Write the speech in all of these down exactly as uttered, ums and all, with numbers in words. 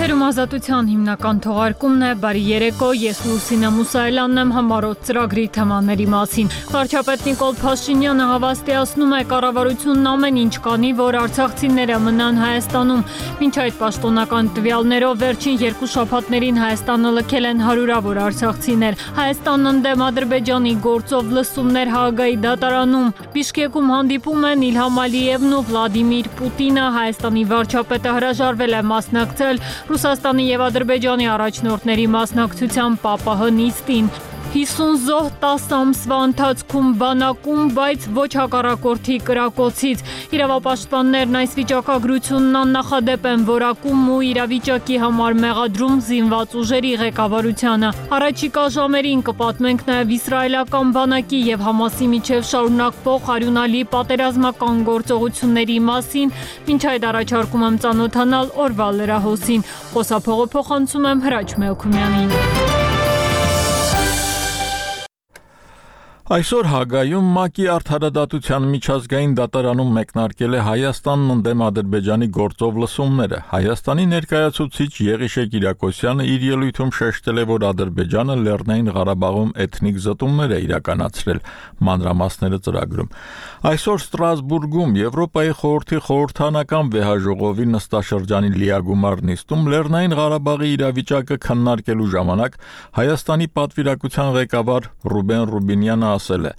Եթերում ազատության հիմնական թողարկումն է, բարի երեկո, ես Լուսինե Մուսայելյանն եմ համառոտ ծրագրի թեմաների մասին։ Վարչապետ Նիկոլ Փաշինյանը հավաստիացնում է կառավարությունն ամեն ինչ կանի, որ արցախցիները մնան Հայաստանում։ Մինչ այդ պաշտոնական տվյալներով վերջին երկու շաբաթներին Հայաստանը լքել են հարյուրավոր արցախցիներ։ Հայաստանն ընդդեմ Ադրբեջանի գործով լսումներ Հաագայի դատարանում։ Բիշկեկում հանդիպում են Իլհամ Ալիևն ու Վլադիմիր Պուտինը, Հայաստանի վարչապետը հրաժարվել է մասնակցել Ռուսաստանի և Ադրբեջանի առաջնորդների մասնակցությամբ ՊԱՊՀ նիստին։ հիսուն զոհ տասը ամսվա ընթացքում բանակում, բայց ոչ հակառակորդի կրակոցից։ Իրավապաշտպաններն այս վիճակագրությունն աննախադեպ են որակում ու իրավիճակի համար մեղադրում զինված ուժերի ղեկավարությանը։ Առաջիկա ժամերին կպատմենք նաև իսրայելական բանակի և Համասի միջև շարունակվող արյունալի պատերազմական գործողությունների մասին, մինչ այդ առաջարկում եմ ծանոթանալ օրվա լրահոսին։ Խոսափողը փոխանցում եմ Հրաչ Մելքումյանին։ Այսօր Հաագայում ՄԱԿ-ի արդարադատության միջազգային դատարանում մեկնարկել է Հայաստանն ընդդեմ Ադրբեջանի գործով լսումները։ Հայաստանի ներկայացուցիչ Եղիշե Կիրակոսյանը իր ելույթում շեշտել է, որ Ադրբեջանը Լեռնային Ղարաբաղում էթնիկ զտումներ է իրականացրել, մանրամասները ծրագրում։ Այսօր Ստրասբուրգում Եվրոպայի խորհրդի խորհրդանական վեհաժողովի նստաշրջանի լիագումար նիստում Լեռնային Ղարաբաղի իրավիճակը քննարկելու ժամանակ Հայաստանի պատվիրակության ղեկավար Ռուբեն Ռուբինյանը ասել է.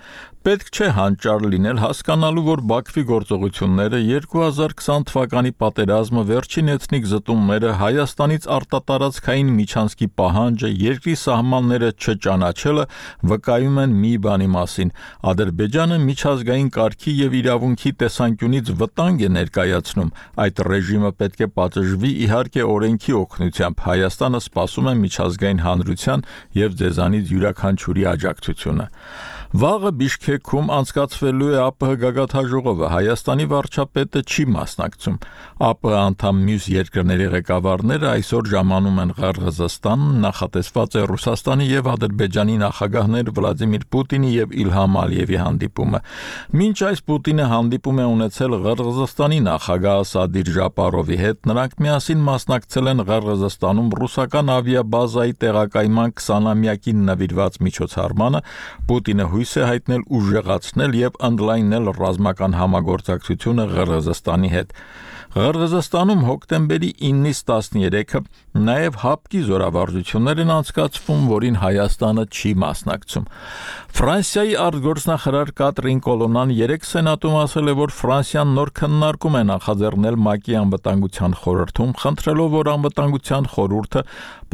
պետք չէ հանճար լինել հասկանալու, որ Բաքվի գործողությունները, երկու հազար քսան թվականի պատերազմը, վերջին էթնիկ զտումները, Հայաստանից արտատարածքային միջանցքի պահանջը, երկրի սահմանները չճանաչելը վկայում են մի բանի մասին. Ադրբեջանը միջազգային կարգի և իրավունքի տեսանկյունից վտանգ է ներկայացնում։ Այդ ռեժիմը պետք է պատժվի իհարկե օրենքի օգնությամբ։ Հայաստանը սպասում է միջազգային հանրության և ձեզանից յուրաքանչյուրի աջակցությունը։ Վաղը Բիշկեքում անցկացվելու է ԱՊՀ գագաթնաժողովը, Հայաստանի վարչապետը չի մասնակցում։ ԱՊՀ անդամ մյուս երկրների ղեկավարները այսօր ժամանում են Ղրղզստան, նախատեսված է Ռուսաստանի և Ադրբեջանի նախագահներ Վլադիմիր Պուտինի և Իլհամ Ալիևի հանդիպումը։ Մինչ այս Պուտինը հանդիպում է ունեցել Ղրղզստանի նախագահ Սադիր Ժապարովի հետ, նրանք միասին մասնակցել են Ղրղզստանում ռուսական ավիաբազայի տեղակայման քսանամյակին նվիրված միջոցառմանը։ Պուտինը հույս է հայտնել ուժեղացնել և ընդլայնել ռազմական համագործակցությունը Ղրղզստանի հետ։ Ղրղզստանում հոկտեմբերի իննից տասներեքը նաև հապկի զորավարժություններ են անցկացվում, որին Հայաստանը չի մասնակցում։ Ֆրանսիայի արտգործնախարար Կատրին Կոլոնան երեկ Սենատում ասել է, որ Ֆրանսիան նոր քննարկում է նախաձեռնել ՄԱԿ-ի անվտանգության խորհրդում, խնդրելով, որ անվտանգության խորհուրդը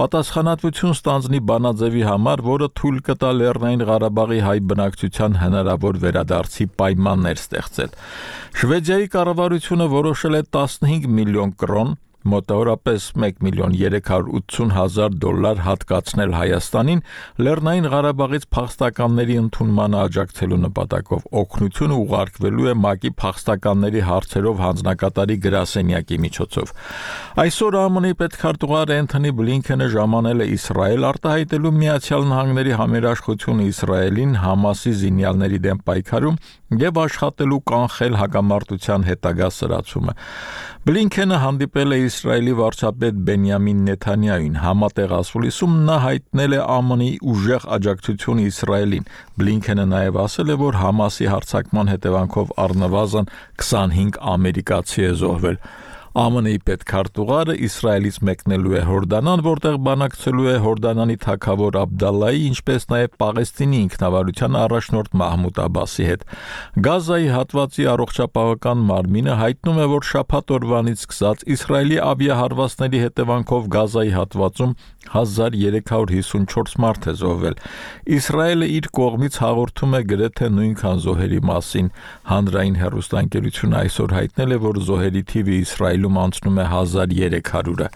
պատասխանատվություն ստանձնի բանաձևի համար, որը թույլ կտա Լեռնային Ղարաբաղի հայ բնակչության հնարավոր վերադարձի պայմաններ ստեղծել։ Շվեդիայի կառավարությունը որոշել է տասնհինգ միլիոն կրոն, մոտավորապես մեկ միլիոն երեք հարյուր ութսուն հազար դոլար հատկացնել Հայաստանին Լեռնային Ղարաբաղից փախստականների ընդունմանը աջակցելու նպատակով։ Օգնությունը ուղարկվելու է ՄԱԿ-ի փախստականների հարցերով հանձնակատարի գրասենյակի միջոցով։ Այսօր ԱՄՆ-ի պետքարտուղար Էնթոնի Բլինքենը ժամանել է Իսրայել, արտահայտելու Միացյալ Նահանգների համերաշխությունը Իսրայելին Համասի զինյալների դեմ պայքարում և աշխատելու կանխել հակամարտության հետագա սրացումը։ Բլինքենը հանդիպել է Իսրայելի վարչապետ Բենյամին Նեթանյահուին։ Համատեղ ասուլիսում նա հայտնել է ԱՄՆ-ի ուժեղ աջակցությունը Իսրայելին։ Բլինքենը նաև ասել է, որ Համասի հարձակման հետևանքով առնվազն քսանհինգ ամերիկացի է զոհվել։ ԱՄՆ-ի պետքարտուղարը Իսրայելից մեկնելու է Հորդանան, որտեղ բանակցելու է Հորդանանի թագավոր Աբդալլայի, ինչպես նաև Պաղեստինի ինքնավարության առաջնորդ Մահմուդ Աբասի հետ։ Գազայի հատվածի առողջապահական մարմինը հայտնում է, որ շաբաթ օրվանից սկսած Իսրայելի ավիահարվածների հետևանքով Գազայի հատվածում հազար երեք հարյուր հիսունչորս մարդ է զոհվել։ Իսրայելը իր կողմից հաղորդում է գրեթե նույնքան զոհերի մասին։ Հանրային հեռուստաընկերությունը այսօր հայտնել է, որ զոհերի թիվը Իսրայելում անցնում է հազար երեք հարյուրը։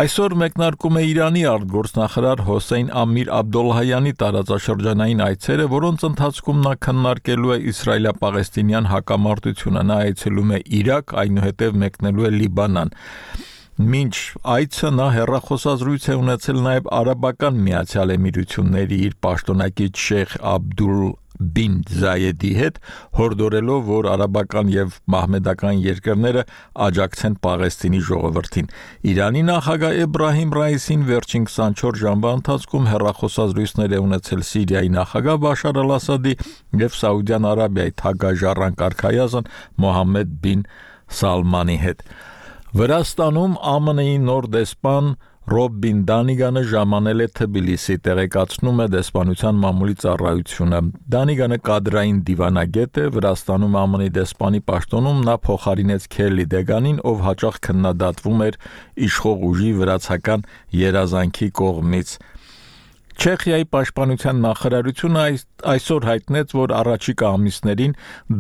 Այսօր մեկնարկում է Իրանի արտգործնախարար Հոսեյն Ամիր Աբդոլլահյանի տարածաշրջանային այցերը, որոնց ընթացքում նա քննարկելու է իսրայելա-պաղեստինյան հակամարտությունը։ Նա այցելում է Իրաք, այնուհետև մեկնելու է Լիբանան։ Մինչ այցը նա հեռախոսազրույց է ունեցել նաև Արաբական Միացյալ Էմիրությունների իր պաշտոնակից Շեյխ Աբդուլ Բին Զայեդի հետ, հորդորելով, որ արաբական եւ մահմեդական երկրները աջակցեն Պաղեստինի ժողովրդին։ Իրանի նախագահ Էբրահիմ Ռայիսին վերջին քսանչորս ժամվա ընթացքում հեռախոսազրույցներ է ունեցել Սիրիայի նախագահ Բաշար Ալ-Ասադի եւ Սաուդյան Արաբիայի թագաժառանգ արքայազն Մոհամմեդ բին Սալմանի հետ։ Վրաստանում Ա Մ Ն-ի նոր դեսպան Ռոբ Բին Դանիգանը ժամանել է Թբիլիսի, տեղեկացնում է դեսպանության մամուլի ծառայությունը։ Դանիգանը կադրային դիվանագետ է, Վրաստանում Ա Մ Ն-ի դեսպանի պաշտոնում նա փոխարինեց Քելլի Դեգանին, ով հաճախ քննադատվում էր իշխող ուժի վրացական երազանքի կողմից։ Չեխիայի պաշտպանության նախարարությունը այս, այսօր հայտնեց, որ առաջիկա ամիսներին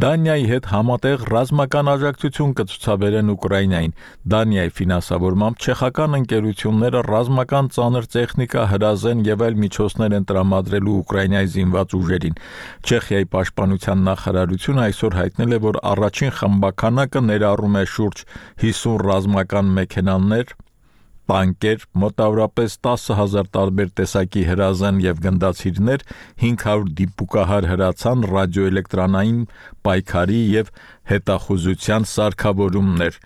Դանիայի հետ համատեղ ռազմական աջակցություն կցուցաբերեն Ուկրաինային։ Դանիայի ֆինանսավորմամբ չեխական ընկերությունները ռազմական ծանր տեխնիկա, հրազեն եւ այլ միջոցներ են տրամադրելու Ուկրաինայի զինված ուժերին։ Չեխիայի պաշտպանության նախարարությունը այսօր հայտնել է, որ առաջին խմբականակը ներառում է շուրջ հիսուն ռազմական մեքենաներ, տանկեր, մոտավորապես տասը հազար տարբեր տեսակի հրազեն եւ գնդացիրներ, հինգ հարյուր դիպուկահար հրացան, ռադիոէլեկտրոնային պայքարի եւ հետախուզության սարքավորումներ։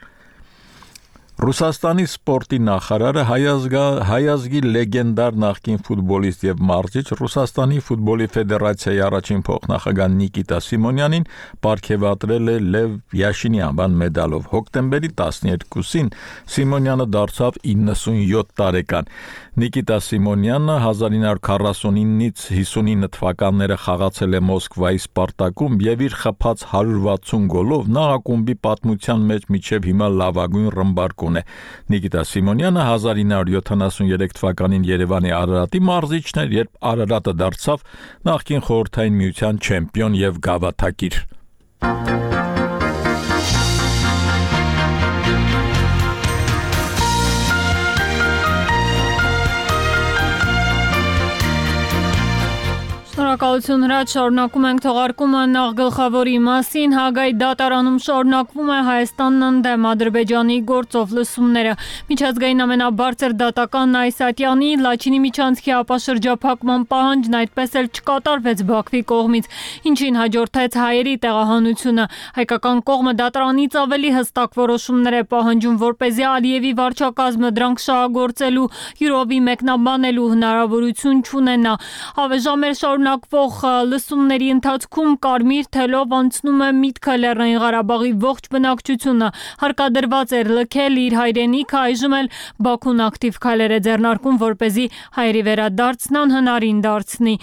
Ռուսաստանի սպորտի նախարարը հայազգա, հայազգի լեգենդար նախկին ֆուտբոլիստ եւ մարզիչ Ռուսաստանի ֆուտբոլի ֆեդերացիայի առաջին փոխնախագահ Նիկիտա Սիմոնյանին պարգևատրել է Լև Յաշինի անվան մեդալով։ Հոկտեմբերի տասներկուսին Սիմոնյանը դարձավ իննսունյոթ տարեկան։ Նիկիտա Սիմոնյանը հազար ինը հարյուր քառասունինից հիսունինը թվականները խաղացել է Մոսկվայի Սպարտակում եւ իր խփած հարյուր վաթսուն գոլով նա ակումբի պատմության մեջ մինչեւ հիմա լավագույն ռմբարկուն է։ Նիկիտա Սիմոնյանը հազար ինը հարյուր յոթանասուներեք թվականին Երևանի Արարատի մարզիչն էր, երբ Արարատը դարձավ նախկին խորհրդային միության չեմպիոն եւ գավաթակիր։ Շնորհակալություն Հրաչ, շարունակում ենք թողարկումը նախ գլխավորի մասին։ Հագայի դատարանում շարունակվում է Հայաստանն ընդդեմ Ադրբեջանի գործով լսումները։ Միջազգային ամենաբարձր դատական Այսատյանի Լաչինի միջանցքի ապաշրջափակման պահանջն այդպես էլ չկատարվեց Բաքվի կողմից, ինչին հաջորդեց հայերի տեղահանությունը։ Հայկական կողմը դատարանից ավելի հստակ որոշումներ է պահանջում, որպեսզի Ալիևի վարչակազմը դրանք շահագործելու յուրովի մեկնաբանելու հնարավորություն չունենա։ Հավեժամեր շարունակվող լսումների ընթացքում կարմիր թելով անցնում է միտքը Լեռնային Ղարաբաղի ողջ բնակչությունը հարկադրված էր լքել իր հայրենիքը, այժմ էլ Բաքուն ակտիվ քայլեր է ձեռնարկում, որպեսզի հայերի վերադարձն անհնարին դարձնի։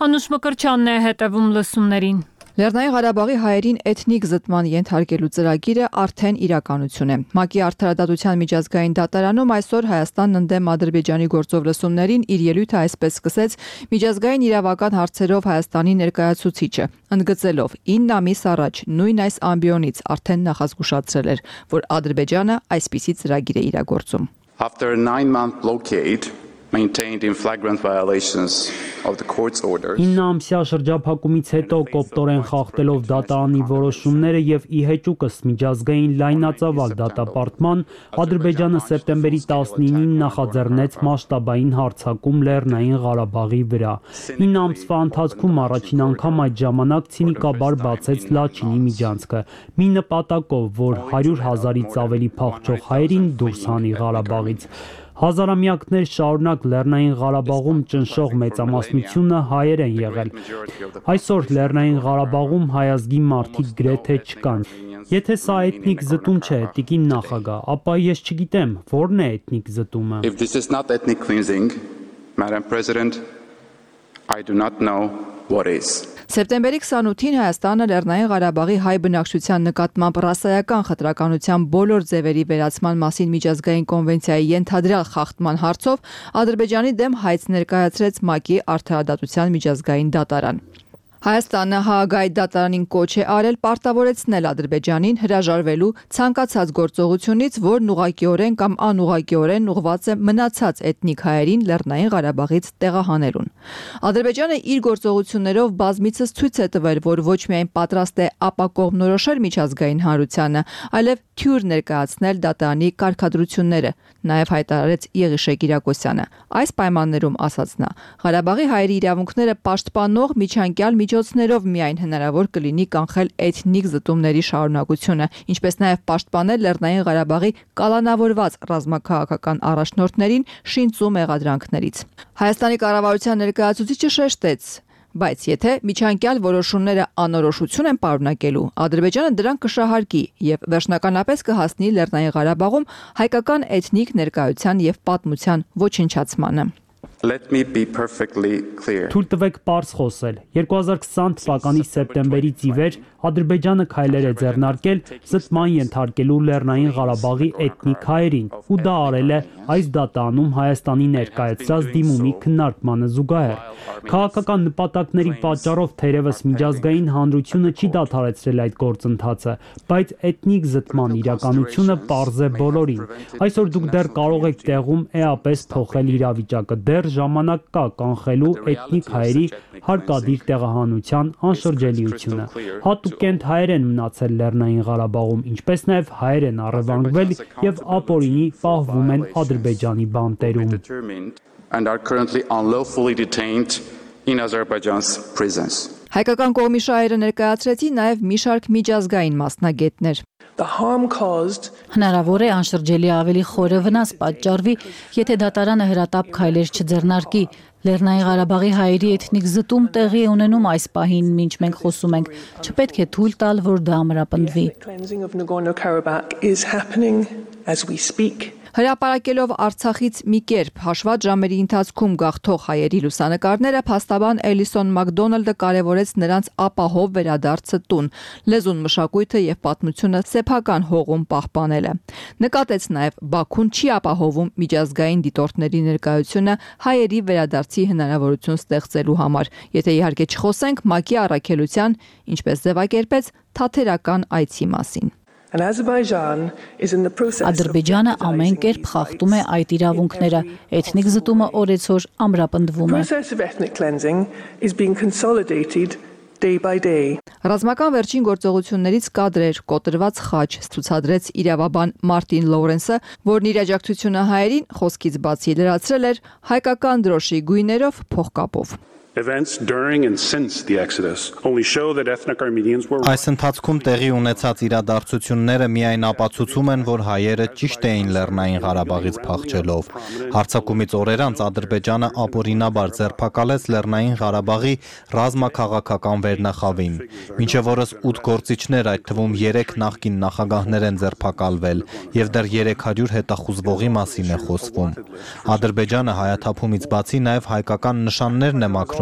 Անուշ Մկրտչյանն է հետևում լսումներին։ Լեռնային Ղարաբաղի հայերին էթնիկ զտման ենթարկելու ծրագիրը արդեն իրականություն է։ ՄԱԿ-ի Արդարադատության միջազգային դատարանում այսօր Հայաստանն ընդդեմ Ադրբեջանի գործով լսումներին իր ելույթը այսպես սկսեց միջազգային իրավական հարցերով Հայաստանի ներկայացուցիչը, ընդգծելով ինը ամիս առաջ նույն այս ամբիոնից արդեն նախազգուշացրել էր, որ Ադրբեջանը այսպիսի ծրագիր է իրագործում։ After a nine-month blockade maintained in flagrant violations of the court's orders. ինը ամսյա շրջափակումից հետո կոպտորեն խախտելով դատարանի որոշումները եւ ի հեճուկս միջազգային լայնածավալ դատապարտման, Ադրբեջանը սեպտեմբերի տասնինին նախաձեռնեց մասշտաբային հարձակում Լեռնային Ղարաբաղի վրա։ ինը ամսվա ընթացքում առաջին անգամ այդ ժամանակ ցինիկաբար բացեց Լաչինի միջանցքը, մի նպատակով, որ հարյուր հազարից ավելի փախչող հայերին դուրս հանի Ղարաբաղից։ Հազարամյակներ շարունակ Լեռնային Ղարաբաղում ճնշող մեծամասնությունը հայեր են եղել։ Այսօր Լեռնային Ղարաբաղում հայազգի մարդիկ գրեթե չկան։ Եթե սա էթնիկ զտում չէ, տիկին նախագահ, ապա ես չգիտեմ, որն է էթնիկ զտումը։ If this is not ethnic cleansing, Madam President, I do not know what is. Սեպտեմբերի քսանութին Հայաստանը Լեռնային Ղարաբաղի հայ բնակչության նկատմամբ ռասայական խտրականության բոլոր ձևերի վերացման մասին միջազգային կոնվենցիայի ենթադրյալ խախտման հարցով Ադրբեջանի դեմ հայց ներկայացրեց ՄԱԿ-ի Արդարադատության միջազգային դատարան։ Հայաստանը Հաագայի դատարանին կոչ է արել պարտավորեցնել Ադրբեջանին հրաժարվելու ցանկացած գործողությունից, որն ուղղակիորեն կամ անուղղակիորեն ուղղված է մնացած էթնիկ հայերին Լեռնային Ղարաբաղից տեղահանելուն։ Ադրբեջանը իր գործողություններով բազմիցս ցույց է տվել, որ ոչ միայն պատրաստ է ապակողմնորոշել միջազգային հանրությանը, այլև թյուր ներկայացնել դատարանի կարգադրությունները, նաև հայտարարեց Եղիշե Կիրակոսյանը։ Այս պայմաններում, ասաց նա, Ղարաբաղի հայերի իրավունքները պաշտպանող միջանկյալ միջոցներով միայն հնարավոր կլինի կանխել էթնիկ զտումների շարունակությունը, ինչպես նաև պաշտպանել Լեռնային Ղարաբաղի կալանավորված ռազմաքաղաքական առաջնորդներին շինծու մեղադրանքներից։ Հայաստանի կառավարության ներկայացուցիչը շեշտեց. Բայց եթե միջանկյալ որոշումները անորոշություն են պարունակելու, Ադրբեջանը դրանք կշահարկի եւ վերջնականապես կհասնի Լեռնային Ղարաբաղում հայկական էթնիկ ներկայության եւ պատմության ոչնչացմանը։ Let me be perfectly clear. Թույլ տվեք պարզ խոսել։ երկու հազար քսան թվականի սեպտեմբերից ի վեր Ադրբեջանը քայլեր է ձեռնարկել զտման ենթարկելու Լեռնային Ղարաբաղի էթնիկ հայերին, ու դա արել է այս դատարանում Հայաստանի ներկայացրած դիմումի քննարկմանը զուգահեռ։ Քաղաքական նպատակների պատճառով թերևս միջազգային հանրությունը չի դադարեցրել այդ գործընթացը, բայց էթնիկ զտման իրականությունը պարզ է բոլորին։ Այսօր դուք դեռ կարող եք տեղում էապես փոխել իրավիճակը, դեռ ժամանակ կա կանխելու էթնիկ հայերի հարկադիր տեղահանության անշրջելիությունը։ Հատուկենտ հայեր են մնացել Լեռնային Ղարաբաղում, ինչպես նաև հայեր են առևանգվել եւ ապօրինի պահվում են Ադրբեջանի բանտերում։ And are currently unlawfully detained in Azerbaijan's prisons. Հայկական կողմի շահերը ներկայացրեցին նաև մի շարք միջազգային մասնագետներ։ Հնարավոր է անշրջելի ավելի խորը վնաս պատճառվի, եթե դատարանը հրատապ քայլեր չձեռնարկի։ Լեռնային Ղարաբաղի հայերի էթնիկ զտում տեղի է ունենում այս պահին, մինչ մենք խոսում ենք, չպետք է թույլ տալ, որ դա ամրապնդվի։ Հրապարակելով Արցախից մի կերպ հաշված ժամերի ընթացքում գաղթող հայերի լուսանկարները, փաստաբան Էլիսոն Մակդոնալդը կարևորեց նրանց ապահով վերադարձը տուն, լեզուն, մշակույթը եւ պատմությունը սեփական հողում պահպանելը։ Նկատեց նաեւ Բաքուն չի ապահովում միջազգային դիտորդների ներկայությունը հայերի վերադարձի հնարավորություն ստեղծելու համար, եթե իհարկե չխոսենք ՄԱԿ-ի առաքելության, ինչպես ձևակերպեց, թաթերական այցի մասին։ Ադրբեջանը ամեն կերպ խախտում է այդ իրավունքները, էթնիկ զտումը օրեցօր ամրապնդվում է։ Ռազմական վերջին գործողություններից կադրեր, կոտրված խաչ ցուցադրեց իրավաբան Մարտին Լորենսը, որն իր աջակցությունը հայերին խոսքից բացի լրացրել էր հայկական դրոշի գույներով փողկապով։ Events during and since the exodus only show that ethnic Armenians were Այս ընթացքում տեղի ունեցած իրադարձությունները միայն ապացուցում են, որ հայերը ճիշտ էին Լեռնային Ղարաբաղից փախչելով։ Հարձակումից օրեր անց Ադրբեջանը ապօրինաբար ձերբակալեց Լեռնային Ղարաբաղի ռազմաքաղաքական վերնախավին։ Մինչև օրս ութ գործիչներ, այդ թվում երեք նախկին նախագահներ են ձերբակալվել, եւ դեռ երեք հարյուր հետախուզվողի մասին է խոսվում։ Ադրբեջանը հայաթափումից բացի նաև հայկական նշաններն է մաքրում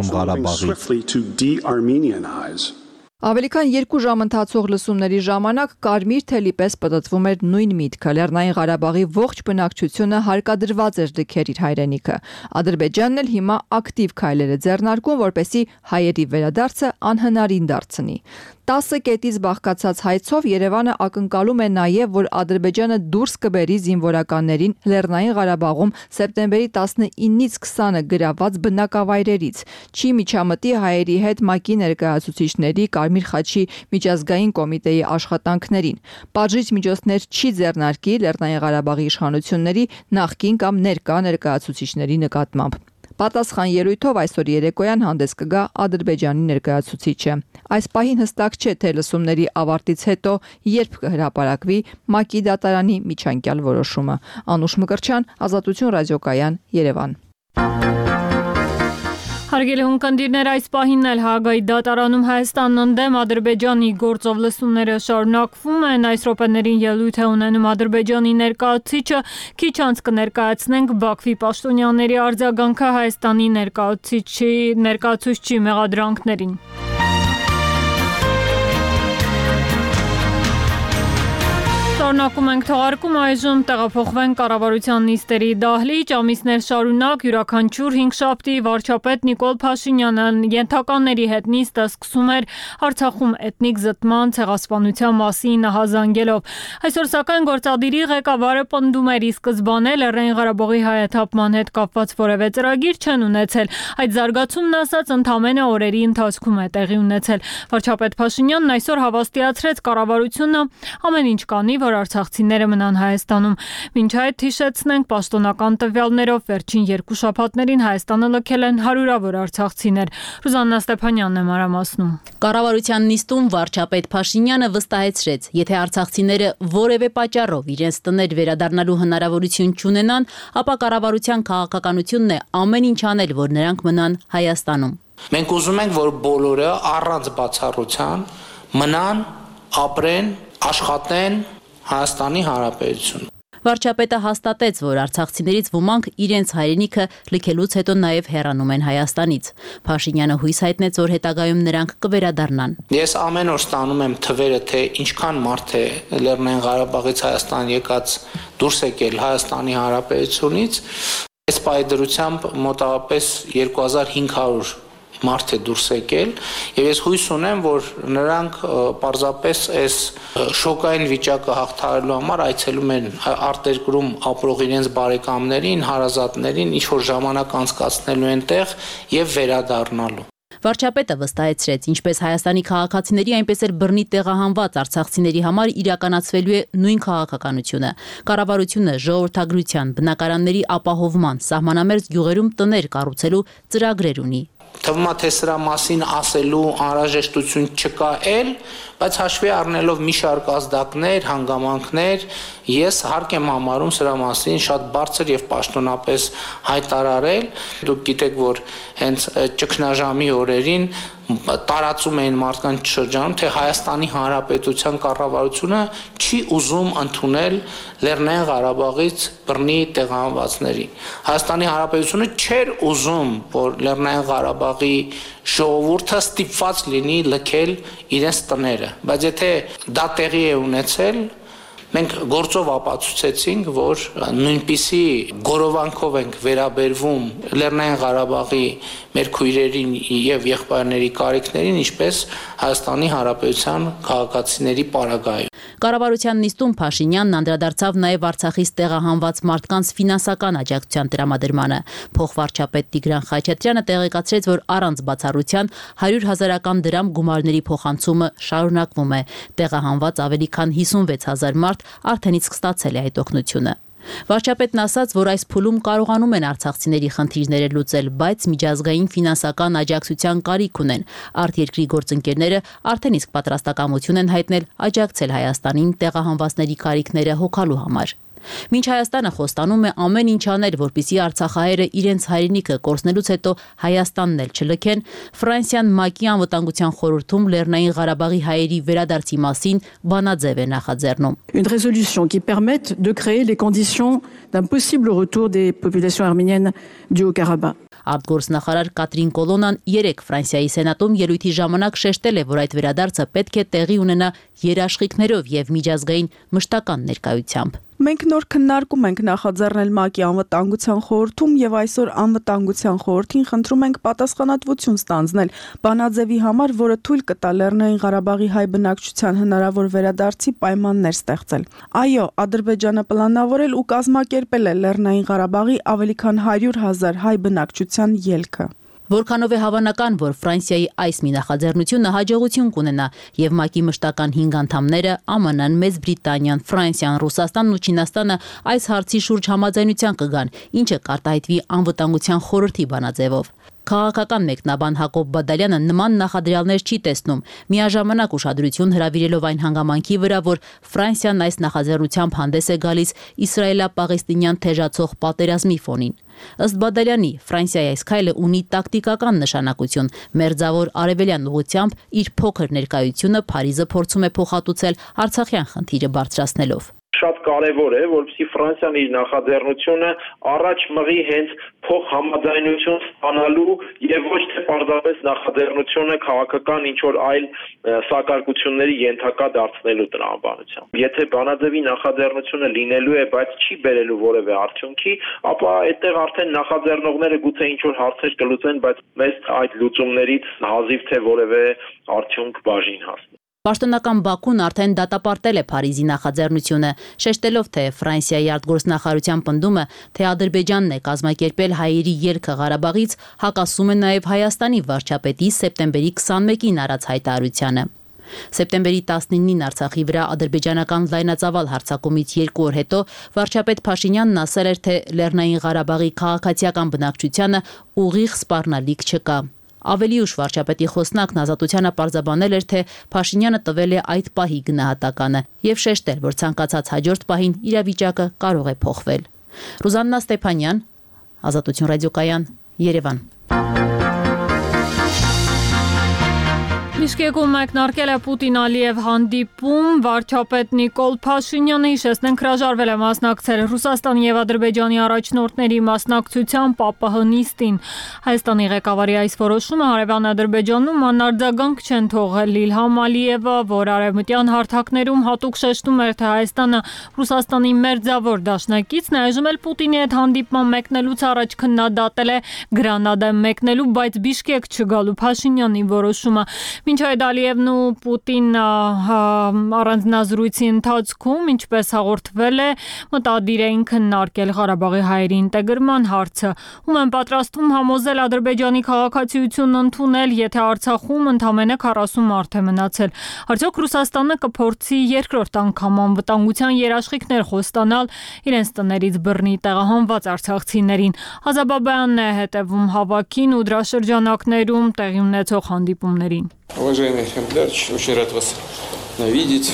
Ավելի քան երկու ժամ ընթացող լսումների ժամանակ կարմիր թելի պես պտտվում էր նույն միտքը։ Լեռնային Ղարաբաղի ողջ բնակչությունը հարկադրված էր լքեր իր հայրենիքը։ Ադրբեջանն էլ հիմա ակտիվ քայլեր է ձեռնարկում, որպեսզի հայերի վերադարձը անհնարին դարձնի։ տասը կետից բաղկացած հայցով Երևանը ակնկալում է նաև, որ Ադրբեջանը դուրս կբերի զինվորականներին Լեռնային Ղարաբաղում սեպտեմբերի տասնինից քսանը գրաված բնակավայրերից։ Չի միջամտի հայերի հետ ՄԱԿ-ի ներկայացուցիչների Կարմիր խաչի միջազգային կոմիտեի աշխատանքներին։ Պատժիչ միջոցներ չի ձեռնարկի Լեռնային Ղարաբաղի իշխանությունների նախկին կամ ներկա ներկայացուցիչների նկատմամբ։ Պատասխան ելույթով այսօր երեկոյան հանդես կգա Ադրբեջանի ներկայացուցիչը։ Այս պահին հստակ չէ, թե լսումների ավարտից հետո երբ կհրապարակվի ՄԱԿ-ի դատարանի միջանկյալ որոշումը։ Անուշ Մկրտչյան, Ազատություն ռադիոկայան, Երևան։ Հարգելի ունկնդիրներ, այս պահին էլ Հաագայի դատարանում Հայաստանն ընդդեմ Ադրբեջանի գործով լսումները շարունակվում են։ Այս րոպեներին ելույթ է ունենում Ադրբեջանի ներկայացուցիչը, քիչ անց կներկայացնենք Բաքվի պաշտոնյաների արձագանքը Հայաստանի ներկայացուցիչի ներկայացուցչի մեղադրանքներին։ Շարունակում ենք թողարկում այժմ տեղափոխվենք կառավարության նիստերի դահլիճ, ամիսներ շարունակ յուրաքանչյուր հինգշաբթի վարչապետ Նիկոլ Փաշինյանը ենթականների հետ նիստը սկսում էր Արցախում էթնիկ զտման ցեղասպանության մասին ահազանգելով։ Այսօր սակայն գործադիրի ղեկավարը պնդում էր ի սկզբանե Լեռնային Ղարաբաղի հայաթափման հետ կապված որևէ ծրագիր չեն ունեցել։ Այդ զարգացումն ասած ընդամենը օրերի ընթացքում է տեղի ունեցել։ Վարչապետ Փաշինյանն այսօր հավաստիացրեց կառավարությունը ամեն ինչ կանի, որ արցախցիները մնան Հայաստանում։ Մինչ այդ հիշեցնենք պաշտոնական տվյալներով վերջին երկու շաբաթներին Հայաստանը լքել են հարյուրավոր արցախցիներ։ Ռուզաննա Ստեփանյանն է մանրամասնում։ Կառավարության նիստում վարչապետ Փաշինյանը վստահեցրեց, եթե արցախցիները որևէ պատճառով իրենց տներ վերադառնալու հնարավորություն չունենան, ապա կառավարության քաղաքականությունն է ամեն ինչ անել, որ նրանք մնան Հայաստանում։ Մենք ուզում ենք, որ բոլորը առանց բացառության մնան, ապրեն, աշխատեն Հայաստանի Հանրապետություն։ Վարչապետը հաստատեց, որ արցախցիներից ոմանք իրենց հայրենիքը լքելուց հետո նաև հեռանում են Հայաստանից։ Փաշինյանը հույս հայտնեց, որ հետագայում նրանք կվերադառնան։ Ես ամեն օր ստանում եմ թվերը, թե ինչքան մարդ է Լեռնային Ղարաբաղից Հայաստան եկած դուրս եկել Հայաստանի Հանրապետությունից։ Այս պայդրությամբ մոտավորապես երկու հազար հինգ հարյուր մարդ է դուրս եկել եւ ես հույս ունեմ, որ նրանք պարզապես այս շոկային վիճակը հաղթահարելու համար այցելում են արտերկրում ապրող իրենց բարեկամներին, հարազատներին, ինչ որ ժամանակ անցկացնելու են տեղ եւ վերադառնալու։ Վարչապետը վստահեցրեց, ինչպես Հայաստանի քաղաքացիների, այնպես էլ բռնի տեղահանված արցախցիների համար իրականացվելու է նույն քաղաքականությունը։ Կառավարությունը ժողովրդագրության, բնակարանների ապահովման, սահմանամերձ գյուղերում տներ կառուցելու ծրագրեր ունի։ Թվում է, թե սրա մասին ասելու անհրաժեշտություն չկա էլ, բայց հաշվի առնելով մի շարք ազդակներ, հանգամանքներ, ես հարկ եմ համարում սրա մասին շատ բարձր եւ պաշտոնապես հայտարարել։ Դուք գիտեք, որ հենց ճգնաժամի օրերին տարածում էին մարդկանց շրջանում, թե Հայաստանի Հանրապետության կառավարությունը չի ուզում ընդունել Լեռնային Ղարաբաղից բռնի տեղահանվածներին։ Հայաստանի Հանրապետությունը չէր ուզում, որ Լեռնային Ղարաբաղի ժողովուրդը ստիպված լինի լքել իրենց տները, բայց եթե դա տեղի է ունեցել, մենք գործով ապացուցեցինք, որ նույնպիսի գորովանքով ենք վերաբերվում Լեռնային Ղարաբաղի մեր քույրերին եւ եղբայրների կարիքներին, ինչպես Հայաստանի Հանրապետության քաղաքացիների պարագայում։ Կառավարության նիստում Փաշինյանն անդրադարձավ նաև Արցախից տեղահանված մարդկանց ֆինանսական աջակցության տրամադրմանը։ Փոխվարչապետ Տիգրան Խաչատրյանը տեղեկացրեց, որ առանց բացառության հարյուր հազարական դրամ գումարների փոխանցումը շարունակվում է։ Տեղահանված ավելի քան հիսունվեց հազար մարդ արդեն իսկ ստացել է այդ օգնությունը։ Վարչապետն ասաց, որ այս փուլում կարողանում են արցախցիների խնդիրները լուծել, բայց միջազգային ֆինանսական աջակցության կարիք ունեն։ Արտերկրի գործընկերները արդեն իսկ պատրաստակամություն են հայտնել աջակցել Հայաստանին տեղահանվածների կարիքները հոգալու համար։ Մինչ Հայաստանը խոստանում է ամեն ինչ անել, որպեսզի արցախահայերը իրենց հայրենիքը կորցնելուց հետո Հայաստանն էլ չլքեն, Ֆրանսիան ՄԱԿ-ի անվտանգության խորհրդում Լեռնային Ղարաբաղի հայերի վերադարձի մասին բանաձև է նախաձեռնում։ Une résolution qui permette de créer les conditions d'un possible retour des populations arméniennes du Haut-Karabakh. Արտգործնախարար Կատրին Կոլոնան երեկ Ֆրանսիայի սենատում ելույթի ժամանակ շեշտել է, որ այդ վերադարձը պետք է տեղի ունենա երաշխիքներով եւ միջազգային մշտական ներկայությամբ։ Մենք նոր քննարկում ենք նախաձեռնել ՄԱԿ-ի անվտանգության խորհրդում եւ այսօր անվտանգության խորհրդին խնդրում ենք պատասխանատվություն ստանձնել բանաձևի համար, որը թույլ կտա Լեռնային Ղարաբաղի հայ բնակչության հնարավոր վերադարձի պայմաններ ստեղծել։ Այո, Ադրբեջանը պլանավորել ու կազմակերպել է Լեռնային Ղարաբաղի ավելի քան հարյուր հազար հայ բնակչության ելքը։ Որքանով է հավանական, որ Ֆրանսիայի այս մի նախաձեռնությունը հաջողություն կունենա եւ ՄԱԿ-ի մշտական հինգ անդամները ԱՄՆ-ն, Մեծ Բրիտանիան, Ֆրանսիան, Ռուսաստանն ու Չինաստանը այս հարցի շուրջ համաձայնության կգան, ինչը կարտահայտվի անվտանգության խորհրդի բանաձևով։ Քաղաքական մեկնաբան Հակոբ Բադալյանը նման նախադրյալներ չի տեսնում, միաժամանակ ուշադրություն հրավիրելով այն հանգամանքի վրա, որ Ֆրանսիան այս նախաձեռնությամբ հանդես է գալիս իսրայելա-պաղեստինյան թեժացող պատերազմի ֆոնին։ Ըստ Բադալյանի, Ֆրանսիայի այս քայլը ունի տակտիկական նշանակություն։ Մերձավոր արևելյան ուղղությամբ իր փոքր ներկայությունը Փարիզը փորձում է փոխհատուցել Արցախյան խնդիրը բարձրացնելով։ Շատ կարևոր է, որպեսզի Ֆրանսիան իր նախաձեռնությունը առաջ մղի հենց փոխհամաձայնություն ստանալու եւ ոչ թե պարզապես նախաձեռնությունը քաղաքական ինչ որ այլ սակարկությունների ենթակա դարձնելու տրամաբանությամբ։ Եթե բանաձևի նախաձեռնությունը լինելու է, բայց չի բերելու որևէ արդյունքի, ապա այդտեղ արդեն նախաձեռնողները գուցե ինչ որ հարցեր կլուծեն, բայց մեզ այդ լուծումներից հազիվ թե որևէ արդյունք բաժին հասնի։ Պաշտոնական Բաքուն արդեն դատապարտել է Փարիզի նախաձեռնությունը, շեշտելով, թե Ֆրանսիայի արտգործնախարարության պնդումը, թե Ադրբեջանն է կազմակերպել հայերի ելքը Ղարաբաղից, հակասում է նաև Հայաստանի վարչապետի սեպտեմբերի քսանմեկին արած հայտարարությանը։ Սեպտեմբերի տասնինին Արցախի վրա ադրբեջանական լայնածավալ հարձակումից երկու օր հետո վարչապետ Փաշինյանն ասել էր, թե Լեռնային Ղարաբաղի քաղաքացիական բնակչությանը ուղիղ սպառնալիք չկա։ Ավելի ուշ վարչապետի խոսնակն Ազատությանը պարզաբանել էր, թե Փաշինյանը տվել է այդ պահի գնահատականը եւ շեշտել, որ ցանկացած հաջորդ պահին իրավիճակը կարող է փոխվել։ Ռուզաննա Ստեփանյան, Ազատություն ռադիոկայան, Երևան։ Բիշկեկում մեկնարկել է Պուտին-Ալիև հանդիպում, վարչապետ Նիկոլ Փաշինյանը հիշեցնենք հրաժարվել է մասնակցել Ռուսաստանի եւ Ադրբեջանի առաջնորդների մասնակցությամբ ՊԱՊՀ նիստին։ Հայաստանի ղեկավարի այս որոշումը հարևան Ադրբեջանում անարձագանք չեն թողել Իլհամ Ալիևը, որ արևմտյան հարթակներում հատուկ շեշտում էր, թե Հայաստանը Ռուսաստանի մերձավոր դաշնակիցն է, այժմ էլ Պուտինի հետ հանդիպման մեկնելուց առաջ քննադատել է Գրանադա մեկնելու, բայց Բիշկեք չգալու Փաշինյանի որոշումը։ Մինչ այդ Ալիևն ու Պուտինն առանձնազրույցի ընթացքում, ինչպես հաղորդվել է, մտադիր էին քննարկել Ղարաբաղի հայերի ինտեգրման հարցը, ում են պատրաստվում համոզել Ադրբեջանի քաղաքացիություն ընդունել, եթե Արցախում ընդամենը քառասուն մարդ է մնացել։ Արդյոք Ռուսաստանը կփորձի երկրորդ անգամ անվտանգության երաշխիքներ խոստանալ իրենց տներից բռնի տեղահանված արցախցիներին։ Ազաբաբյանն է հետևում հավաքին ու դրա շրջանակներում տեղի ունեցող հանդիպումներին։ Уважаемый Хамдарч, очень рад вас видеть.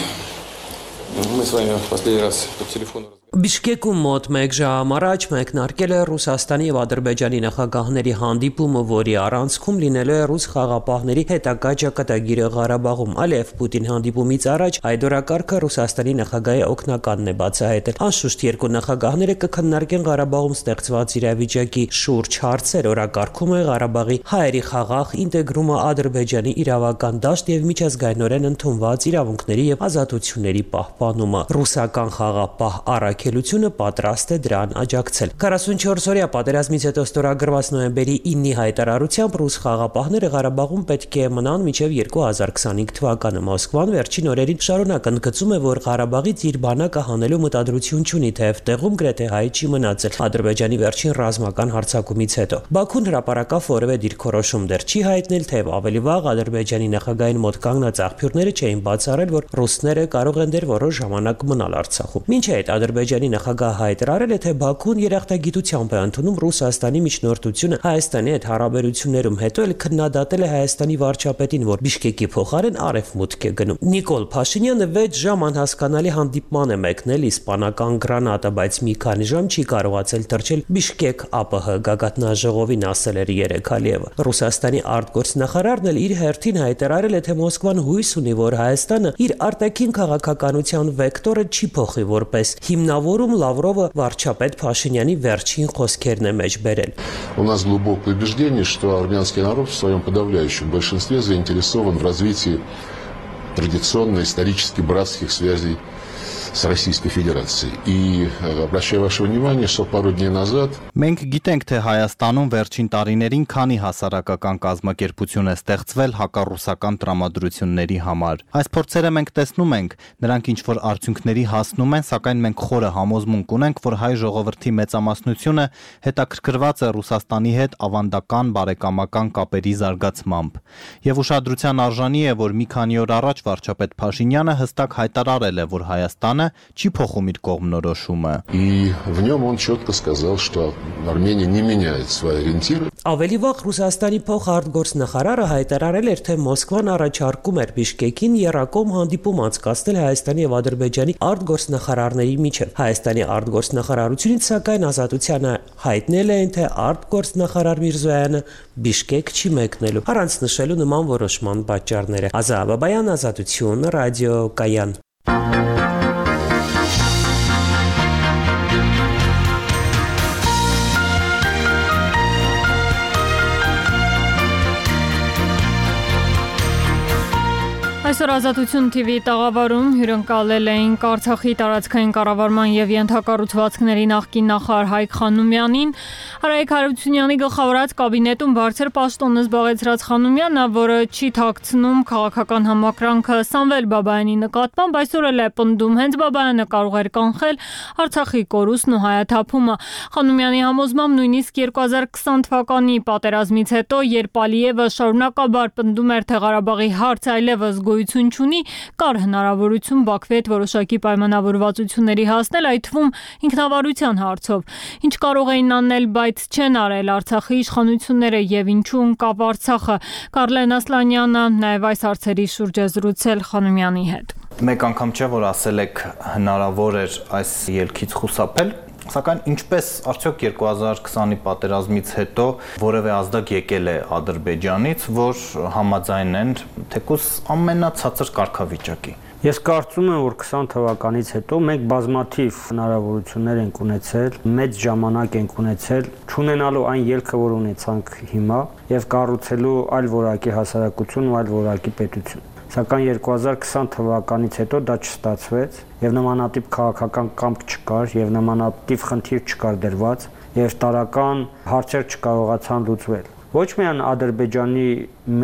Мы с вами в последний раз по телефону. Բիշկեկում մոտ մեկ ժամ առաջ մեկնարկել է Ռուսաստանի եւ Ադրբեջանի նախագահների հանդիպումը, որի առանցքում լինելու է ռուս խաղապահների հետագա ճակատագիրը Ղարաբաղում։ Ալիև Պուտին հանդիպումից առաջ այդ օրակարգը Ռուսաստանի նախագահի օգնականն է բացահայտել։ Անշուշտ երկու նախագահները կքննարկեն Ղարաբաղում ստեղծված իրավիճակի շուրջ հարցեր։ Օրակարգում է Ղարաբաղի հայերի խաղաղ ինտեգրումը, Ադրբեջանի իրավական դաշտ եւ միջազգայինորեն ընդունված իրավունքների եւ ազատությունների պահպանումը։ Ռուսական խաղապահ առաքելությունը պատրաստ է դրան աջակցել։ քառասունչորս-օրյա պատերազմից հետո ստորագրված նոյեմբերի իննի հայտարարությամբ ռուս խաղապահները Ղարաբաղում պետք է մնան մինչև երկու հազար քսանհինգ թվականը։ Մոսկվան վերջին օրերին շարունակ ընդգծում է, որ Ղարաբաղից իր բանակը հանելու մտադրություն չունի, թեև տեղում գրեթե հայ չի մնացել Ադրբեջանի վերջին ռազմական հարձակումից հետո։ Բաքուն հրապարակավ որևէ դիրքորոշում դեռ չի հայտնել, թեև ավելի վաղ Ադրբեջանի նախագահային մոտ կանգնած աղբյուրները չէին բացառել, որ ռուսները կարող են դեռ որոշ ժամանակ մնալ Արցախում։ Մինչ այդ Ադրբեջանի նախագահը հայտարարել է, թե Բաքուն երախտագիտությամբ է ընդունում Ռուսաստանի միջնորդությունը Հայաստանի հետ հարաբերություններում, հետո էլ քննադատել է Հայաստանի վարչապետին, որ Բիշկեկի փոխարեն արևմուտք է գնում։ Նիկոլ Փաշինյանը վեց ժամ անհասկանալի հանդիպման է մեկնել իսպանական Գրանադա, բայց մի քանի ժամ չի կարողացել թռչել Բիշկեք ԱՊՀ գագաթնաժողովին, ասել էր երեկ Ալիևը։ Ռուսաստանի արտգործնախարարն էլ իր հերթին հայտարարել է, թե Մոսկվան հույս ունի, որ Հայաստանը իր արտաքին քաղաքականության վեկտորը չի փոխի որպես հիմնավորում Լավրովը վարչապետ Փաշինյանի վերջին խոսքերն է մեջ բերել։ У нас глубокое убеждение, что армянский народ в своем подавляющем большинстве заинтересован в развитии традиционно исторически братских связей с Российской Федерацией. И обращаю ваше внимание, что пару дней назад Մենք գիտենք, թե Հայաստանում վերջին տարիներին քանի հասարակական կազմակերպություն է ստեղծվել հակառուսական տրամադրությունների համար։ Այս փորձերը մենք տեսնում ենք, նրանք ինչ որ արդյունքների հասնում են, սակայն մենք խորը համոզմունք ունենք, որ հայ ժողովրդի մեծամասնությունը հետաքրքրված է Ռուսաստանի հետ ավանդական բարեկամական կապերի զարգացմամբ։ Եվ ուշադրության արժանի է, որ մի քանի օր առաջ վարչապետ Փաշինյանը հստակ հայտարարել է, որ Հայաստանը չի փոխում իր կողմնորոշումը։ И в нем он четко сказал, что Армения не меняет свои ориентиры. Ավելի վաղ Ռուսաստանի փոխարտգործնախարարը հայտարարել էր, թե Մոսկվան առաջարկում էր Բիշկեկին եռակողմ հանդիպում անցկացնել Հայաստանի եւ Ադրբեջանի արտգործնախարարների միջև։ Հայաստանի արտգործնախարարությունից սակայն Ազատությանը հայտնել էին, թե արտգործնախարար Միրզոյանը Բիշկեք չի մեկնելու, առանց նշելու նման որոշման պատճառները։ Ազատաբայան, Ազատություն, ռադիոկայան։ Այսօր Ազատություն թիվի տաղավարում հյուրընկալել էինք Արցախի տարածքային կառավարման եւ ենթակառուցվածքների նախկին նախարար Հայկ Խանոմյանին։ Արայիկ Հարությունյանի գլխավորած կաբինետում բարձր պաշտոն զբաղեցրած Խանոմյանը, որը չի թաքցնում քաղաքական համակրանքը Սամվել Բաբայանի նկատմամբ, այսօր էլ է պնդում, հենց Բաբայանը կարող էր կանխել Արցախի կորուստն ու հայաթափումը։ Խանոմյանի համոզմամբ նույնիսկ երկու հազար քսան թվականի պատերազմից հետո, երբ Ալիևը շարունակաբար պնդում էր, թե Ղարաբաղի հարցը այլևս գոյություն չունի, կար հնարավորություն Բաքվի հետ որոշակի պայմանավորվածությունների հասնել, այդ թվում ինքնավարության հարցով։ Ինչ կարող էին անել, բայց չեն արել Արցախի իշխանությունները եւ ինչու ընկավ Արցախը։ Կարլեն Ասլանյանը նաեւ այս հարցերի շուրջ է զրուցել Խանոմյանի հետ։ Մեկ անգամ չէ, որ ասել եք հնարավոր էր այս ելքից խուսափել, սակայն ինչպես արդյոք երկու հազար քսանի պատերազմից հետո որևէ ազդակ եկել է Ադրբեջանից, որ համաձայնեն թեկուզ ամենացածր կարգավիճակի։ Ես կարծում եմ, որ քսան թվականից հետո մենք բազմաթիվ հնարավորություններ ենք ունեցել, մեծ ժամանակ ենք ունեցել, չունենալու այն ելքը, որ ունեցանք հիմա, եւ կառուցելու այլ որակի հասարակություն ու այլ որակի պետություն։ Սակայն երկու հազար քսան թվականից հետո դա չստացվեց եւ նմանատիպ քաղաքական կամք չկար եւ նմանատիպ խնդիր չկար դրված եւ տարական հարցեր չկարողացան լուծվել։ Ոչ միայն Ադրբեջանի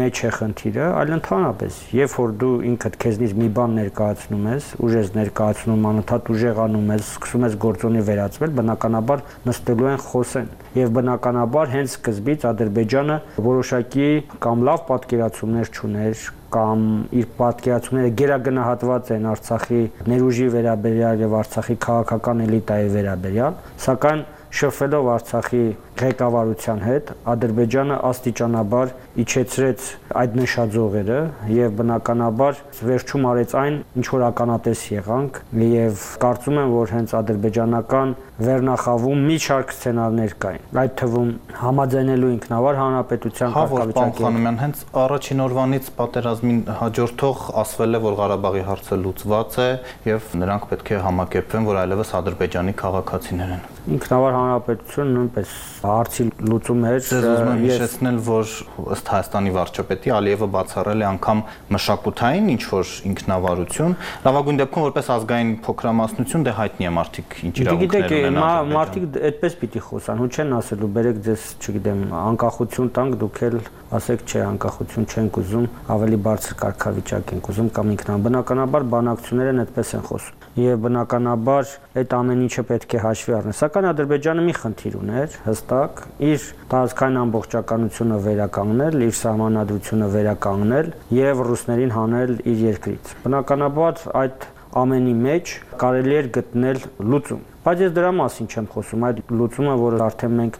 մեջ է խնդիրը, այլ ընդհանրապես, երբ որ դու ինքդ քեզնից մի բան ներկայացնում ես, ուժ ես ներկայացնում, անընդհատ ուժեղանում ես, սկսում ես գործոնի վերածվել, բնականաբար նստելու են խոսեն։ Եվ բնականաբար հենց սկզբից Ադրբեջանը որոշակի կամ լավ պատկերացումներ չուներ, կամ իր պատկերացումները գերագնահատված են Արցախի ներուժի վերաբերյալ եւ Արցախի քաղաքական էլիտայի վերաբերյալ, սակայն շփվելով Արցախի ղեկավարության հետ, Ադրբեջանը աստիճանաբար իջեցրեց այդ նշաձողերը եւ բնականաբար վերջում արեց այն, ինչ որ ականատես եղանք եւ կարծում եմ, որ հենց ադրբեջանական վերնախավում մի շարք սցենարներ կային։ Այդ թվում համաձայնելու ինքնավար հանրապետության կարգավիճակի։ Խանոմյան, հենց առաջին օրվանից պատերազմին հաջորդող ասվել է, որ Ղարաբաղի հարցը լուծված է եւ նրանք պետք է համակերպվեն, որ այլևս Ադրբեջանի քաղաքացիներ են։ Ինքնավար հանրապետությունը նույնպես հարցի լուծում էր։ Ես հիշեցնել, որ ըստ Հայաստանի վարչապետի Ալիևը բացառել է անգամ մշակութային ինչ-որ ինքնավարություն, լավագույն դեպքում որպես ազգային փոքրամասնություն դե հայտնի է մարդիկ ինչ իրավունքներ ունեն։ Մարդիկ այդպես պիտի խոսան, ու չեն ասելու բերեք ձեզ, չգիտեմ, անկախություն տանք, դուք էլ ասեք չէ, անկախություն չենք ուզում, ավելի բարձր կարգավիճակ ենք ուզում կամ ինքնաբնականաբար բանակցություններն այդպես են խոսում։ Եվ բնականաբար այդ ամեն ինչը պետք է հաշվի առնել։ Սակայն Ադրբեջանը մի խնդիր ուներ, հստակ, իր տարածքային ամբողջականությունը վերականգնել, իր սահմանադրությունը վերականգնել եւ ռուսներին հանել իր երկրից։ Բնականաբար այդ ամենի մեջ կարելի էր գտնել լուծում։ Բայց ես դրա մասին չեմ խոսում, այդ լուծումը, որը արդեն մենք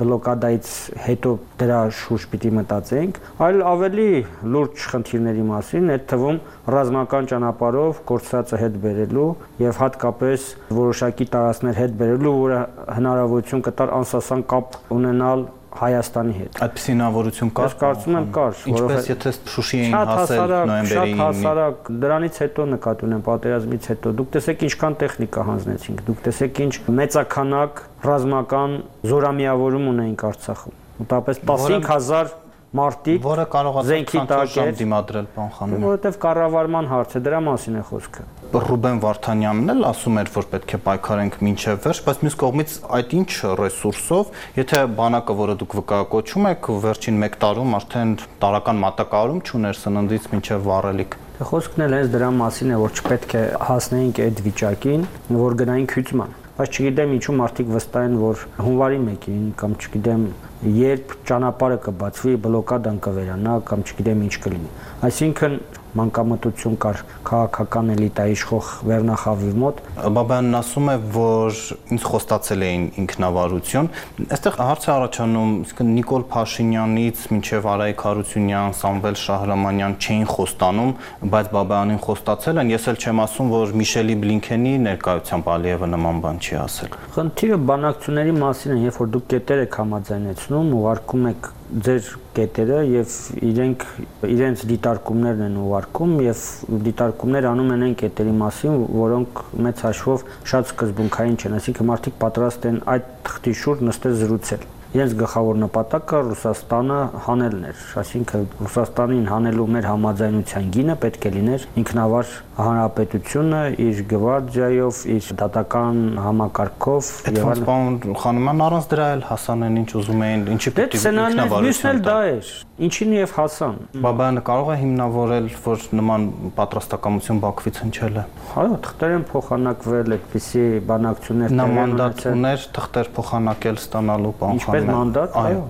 բլոկադայից հետո դրա շուրջ պիտի մտածենք, այլ ավելի լուրջ խնդիրների մասին, այդ թվում ռազմական ճանապարհով կորցրածը հետ բերելու եւ հատկապես որոշակի տարածքներ հետ բերելու, որը հնարավորություն կտար անսասան կապ ունենալ Հայաստանի հետ։ Այդպիսի հնարավորություն կար։ Ես կարծում եմ կար, որովհետեւ եթե Շուշի էին հասել նոյեմբերի ինը, շատ հասարակ, դրանից հետո նկատի ունեմ պատերազմից հետո, դուք տեսեք ինչքան տեխնիկա հանձնեցինք, դուք տեսեք ինչ մեծականակ ռազմական զորամիավորում ունեինք Արցախում։ Մոտավորապես տասնհինգ հազար մարտիկ, որը կարողացավ քանչոր ժամ դիմադրել պարոն Խանոմյան։ Որովհետև կառավարման հարց է, դրա մասին է խոսքը։ Ռուբեն Վարդանյանն էլ ասում էր, որ պետք է պայքարենք մինչև վերջ, բայց մյուս կողմից այդ ինչ ռեսուրսով, եթե բանակը, որը դուք վկայակոչում եք, վերջին մեկ տարում արդեն տարական մատակարարում չուներ սննդից մինչև վառելիք։ Խոսքն էլ հենց դրա մասին է, որ չպետք է հասնեինք այդ վիճակին, որ գնայինք հյուծման։ Բայց չգիտեմ ինչու մարդիկ վստահ են, որ հունվարի մեկին կամ չգիտեմ երբ ճանապարհը կբացվի, բլոկադան կվերանա կամ չգիտեմ ինչ կլինի։ Այսինքն մանկամտություն կար քաղաքական էլիտայի իշխող վերնախավի մոտ։ Բաբայանն ասում է, որ ինձ խոստացել էին ինքնավարություն։ Այստեղ հարց է առաջանում, իսկն Նիկոլ Փաշինյանից մինչև Արայիկ Հարությունյան, Սամվել Շահրամանյան չէին խոստանում, բայց Բաբայանին խոստացել են։ Ես էլ չեմ ասում, որ Միշելի Բլինքենի ներկայությամբ Ալիևը նման բան չի ասել։ Խնդիրը բանակցությունների մասին է, երբ որ դուք կետեր եք համաձայնեցնում, ուղարկում եք ձեր կետերը եւ իրենք իրենց դիտարկումներն են ուղարկում եւ դիտարկումներ անում են այն կետերի մասին, որոնք մեծ հաշվով շատ սկզբունքային չեն, այսինքն մարդիկ պատրաստ են այդ թղթի շուրջ նստել զրուցել։ իրենց գլխավոր նպատակը Ռուսաստանը հանելն էր, այսինքն Ռուսաստանին հանելու մեր համաձայնության գինը պետք է լիներ ինքնավար հանրապետությունը իր գվարդիայով, իր դատական համակարգով եւ այլն։ Պարոն Խանոյան, առանց դրա էլ հասան են ինչ ուզում էին, ինչի պետք է ինքնավարություն դա էր, ինչին եւ հասան։ Բաբայանը կարող է հիմնավորել, որ նման պատրաստակամություն Բաքվից հնչել է։ Այո, թղթեր են փոխանակվել, այդպիսի բանակցություններ նա մանդատ ուներ թղթեր փոխանակել ստանալու բան Ինչպես մանդատ, այո։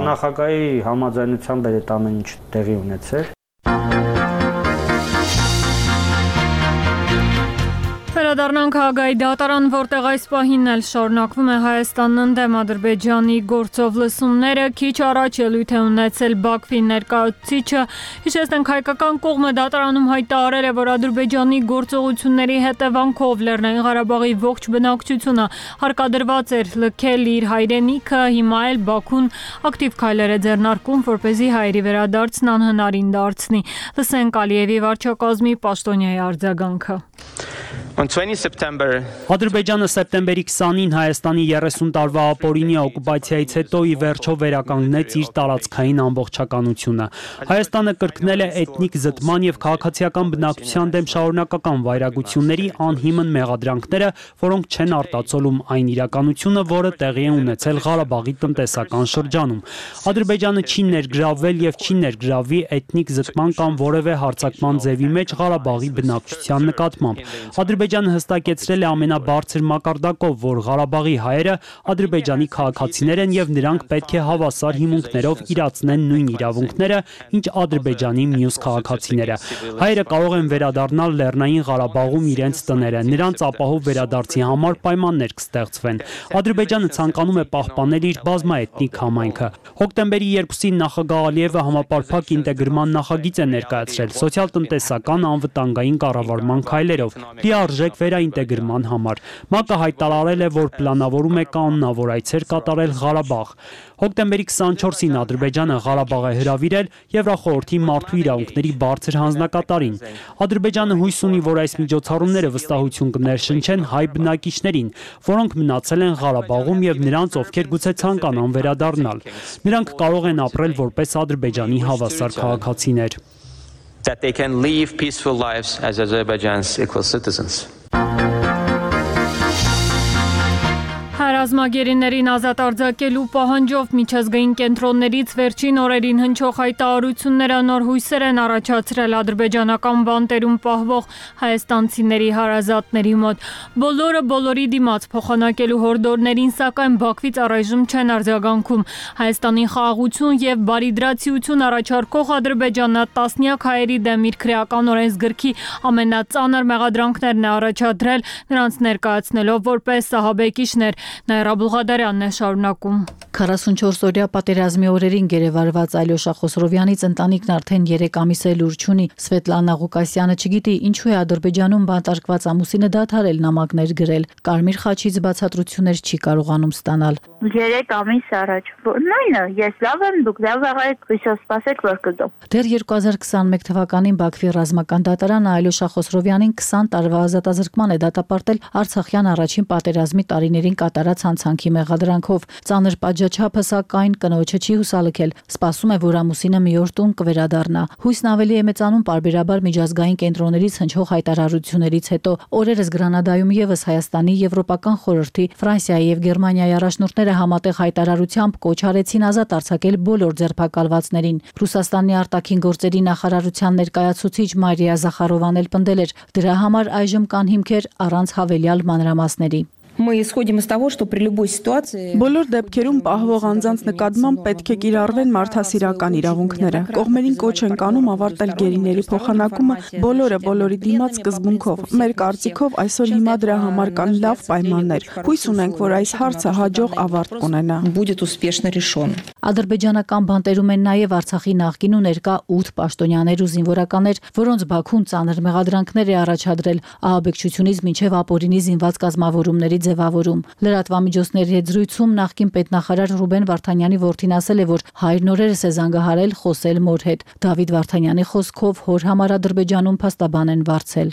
Նախագահի համաձայնությամբ էր այդ ամեն ինչ տեղի ունեցել։ Վերադառնանք Հաագայի դատարան, որտեղ այս պահին էլ շարունակվում է Հայաստանն ընդդեմ Ադրբեջանի գործով լսումները, քիչ առաջ ելույթ է ունեցել Բաքվի ներկայացուցիչը, հիշեցնենք հայկական կողմը դատարանում հայտարարել է, որ Ադրբեջանի գործողությունների հետևանքով Լեռնային Ղարաբաղի ողջ բնակչությունը հարկադրված էր լքել իր հայրենիքը, հիմա էլ Բաքուն ակտիվ քայլեր է ձեռնարկում, որպեսզի հայերի վերադարձն անհնարին դարձնի։ Լսենք Ալիևի վարչակազմի պաշտոնյայի արձագանքը։ Ադրբեջանը սեպտեմբերի քսանին Հայաստանի երեսուն տարվա ապօրինի օկուպացիայից հետո ի վերջո վերականգնեց իր տարածքային ամբողջականությունը։ Հայաստանը կրկնել է էթնիկ զտման եւ քաղաքացիական բնակչության դեմ շարունակական վայրագությունների անհիմն մեղադրանքները, որոնք չեն արտացոլում այն իրականությունը, որը տեղի է ունեցել Ղարաբաղի տնտեսական շրջանում։ Ադրբեջանը չի ներգրավվել եւ չի ներգրավվի էթնիկ զտման կամ որևէ հարձակման ձևի մեջ Ղարաբաղի բնակչության նկատմամբ։ Ադրբեջանը հստակեցրել է ամենաբարձր մակարդակով, որ Ղարաբաղի հայերը Ադրբեջանի քաղաքացիներ են եւ նրանք պետք է հավասար հիմունքներով իրացնեն նույն իրավունքները, ինչ Ադրբեջանի մյուս քաղաքացիները։ Հայերը կարող են վերադառնալ Լեռնային Ղարաբաղում իրենց տները, նրանց ապահով վերադարձի համար պայմաններ կստեղծվեն։ Ադրբեջանը ցանկանում է պահպանել իր բազմաէթնիկ համայնքը։ Հոկտեմբերի երկուսին նախագահ Ալիևը համապարփակ ինտեգրման նախագիծ է ներկայացրել սոցիալ-տնտեսական անվտանգային կառավարման քայլերով լիարժեք վերաինտեգրման համար։ ՄԱԿ-ը հայտարարել է, որ պլանավորում է կանոնավոր այցեր կատարել Ղարաբաղ։ Հոկտեմբերի քսանչորսին Ադրբեջանը Ղարաբաղ է հրավիրել Եվրախորհրդի մարդու իրավունքների բարձր հանձնակատարին։ Ադրբեջանը հույս ունի, որ այս միջոցառումները վստահություն կներշնչեն հայ բնակիչներին, որոնք մնացել են Ղարաբաղում եւ նրանց, ովքեր գուցե ցանկանան վերադառնալ։ Նրանք կարող են ապրել որպես Ադրբեջանի հավասար քաղաքացիներ։ That they can live peaceful lives as Azerbaijan's equal citizens. Ռազմագերիներին ազատ արձակելու պահանջով միջազգային կենտրոններից վերջին օրերին հնչող հայտարարությունները նոր հույսեր են առաջացրել ադրբեջանական բանտերում պահվող հայաստանցիների հարազատների մոտ։ Բոլորը բոլորի դիմաց փոխանակելու հորդորներին, սակայն Բաքվից առայժմ չեն արձագանքում։ Հայաստանի խաղաղություն եւ բարիդրացիություն առաջարկող Ադրբեջանը տասնյակ հայերի դեմ իր քրեական օրենսգրքի ամենածանր մեղադրանքներն է առաջադրել, նրանց ներկայացնելով որպես սահաբեկիչներ։ Նաիրա Բուղադարյանն է շարունակում։ քառասունչորս-օրյա պատերազմի օրերին գերեվարված Ալյոշա Խոսրովյանից ընտանիքն արդեն երեք ամիս է լուր չունի։ Սվետլանա Ղուկասյանը չգիտի ինչու է Ադրբեջանում բանտարկված ամուսինը դադարել նամակներ գրել։ Կարմիր խաչից բացատրություններ չի կարողանում ստանալ։ Երեք ամիս առաջ։ Նույնը, ես լավ եմ, դուք լավ եղեք, հույսով սպասեք, որ կգամ։ Դեռ երկու հազար քսանմեկ թվականին Բաքվի ռազմական դատարանը Ալյոշա Խոսրովյանին քսան տարվա ազատազրկման է դատապարտել Արցախյան առաջին պատերազմի տարիներին կատարած հանցանքի մեղադրանքով։ Ծանր պատժաչափը սակայն կնոջը չի հուսալքել։ Սպասում է, որ ամուսինը մի օր տուն կվերադառնա։ Հույսն ավելի է մեծանում պարբերաբար միջազգային կենտրոններից հնչող հայտարարություններից հետո։ Օրերս Գրանադայում եւս Հայաստանի, Եվրոպական խորհրդի, Ֆրանսիայի եւ Գերմանիայի առաջնորդները համատեղ հայտարարությամբ կոչ արեցին ազատ արձակել բոլոր ձերբակալվածներին։ Ռուսաստանի արտաքին գործերի նախարարության ներկայացուցիչ Մարիա Զախարովան էլ պնդել էր, դրա համար այժմ կան հիմքեր առանց հավելյալ մանրամասների։ Мы исходим из того, что при любой ситуации բոլոր դեպքերում պահվող անձանց նկատմամբ պետք է կիրառվեն մարդասիրական իրավունքները։ Կողմերին կոչ են կանում ավարտել գերիների փոխանակումը բոլորը բոլորի դիմաց սկզբունքով։ Մեր կարծիքով այսօր հիմա դրա համար կան լավ պայմաններ։ Հույս ունենք, որ այս հարցը հաջող ավարտ կունենա։ Будет успешно решен։ Ադրբեջանական բանտերում են նաև Արցախի նախկին ու ներկա ութ պաշտոնյաներ ու զինվորականներ, որոնց Բաքուն ծանր մեղադրանքներ է առաջադրել ահաբեկչությունից մինչև ապօրինի զինված կազմավորումների ձևավորում։ Լրատվամիջոցների հետ զրույցում նախկին պետնախարար Ռուբեն Վարդանյանի որդին ասել է, որ հայրն օրերս է զանգահարել խոսել մոր հետ։ Դավիթ Վարդանյանի խոսքով հոր համար Ադրբեջանում փաստաբան են վարձել։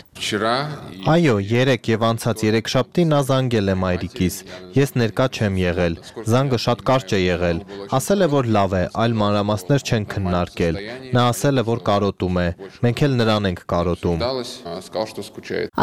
Այո, երեք եւ անցած երեքշաբթի նա զանգել է մայրիկիս։ Ես ներկա չեմ եղել։ Զանգը շատ կարճ է եղել։ Ասել է, որ լավ է, այլ մանրամասներ չեն քննարկել։ Նա ասել է, որ կարոտում է։ Մենք էլ նրան ենք կարոտում։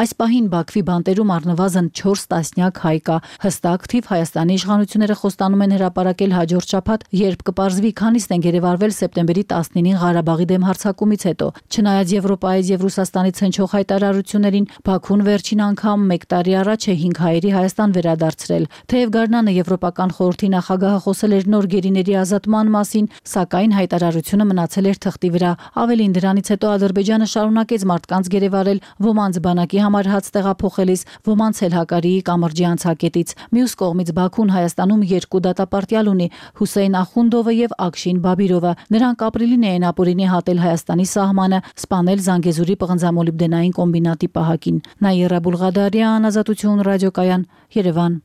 Այս պահին Բաքվի բանտերում առնվազն չորս տասնյակ հայ կա։ Հստակ թիվ Հայաստանի իշխանությունները խոստանում են հրապարակել հաջորդ շաբաթ, երբ կպարզվի քանիստ են գերեվարվել սեպտեմբերի տասնինին Ղարաբաղի դեմ հարձակումից հետո։ Չնայած Եվրոպայից եւ Ռուսաստանից հնչող հայտարարություններին, Բաքուն վերջին անգամ մեկ տարի առաջ է հինգ հայերի Հայաստան վերադարձրել։ Թեև Գարնանը Եվրոպական խորհրդի նախագահը խոսել էր նոր գերիների ազատման մասին, սակայն հայտարարությունը մնացել էր թղթի վրա։ Ավելին դրանից հետո Ադրբեջանը շարունակեց մարդկանց գերեվարել, ոմանց բանակի համար հաց տեղափոխելիս, ոմանց էլ Հակարիի կամրջի անցակետից։ Մյուս կողմից Բաքուն Հայաստանում երկու դատապարտյալ ունի՝ Հուսեյն Ախունդովը եւ Ակշին Բաբիրովը։ Նրանք ապրիլին էին ապօրինի հատել Հայաստանի սահմանը, սպանել Զանգեզուրի պղնձամոլիբդենային կոմբինատի պահակին։ Նաիրա Բուլղադարյան, Ազատություն ռադիոկայան, Երևան։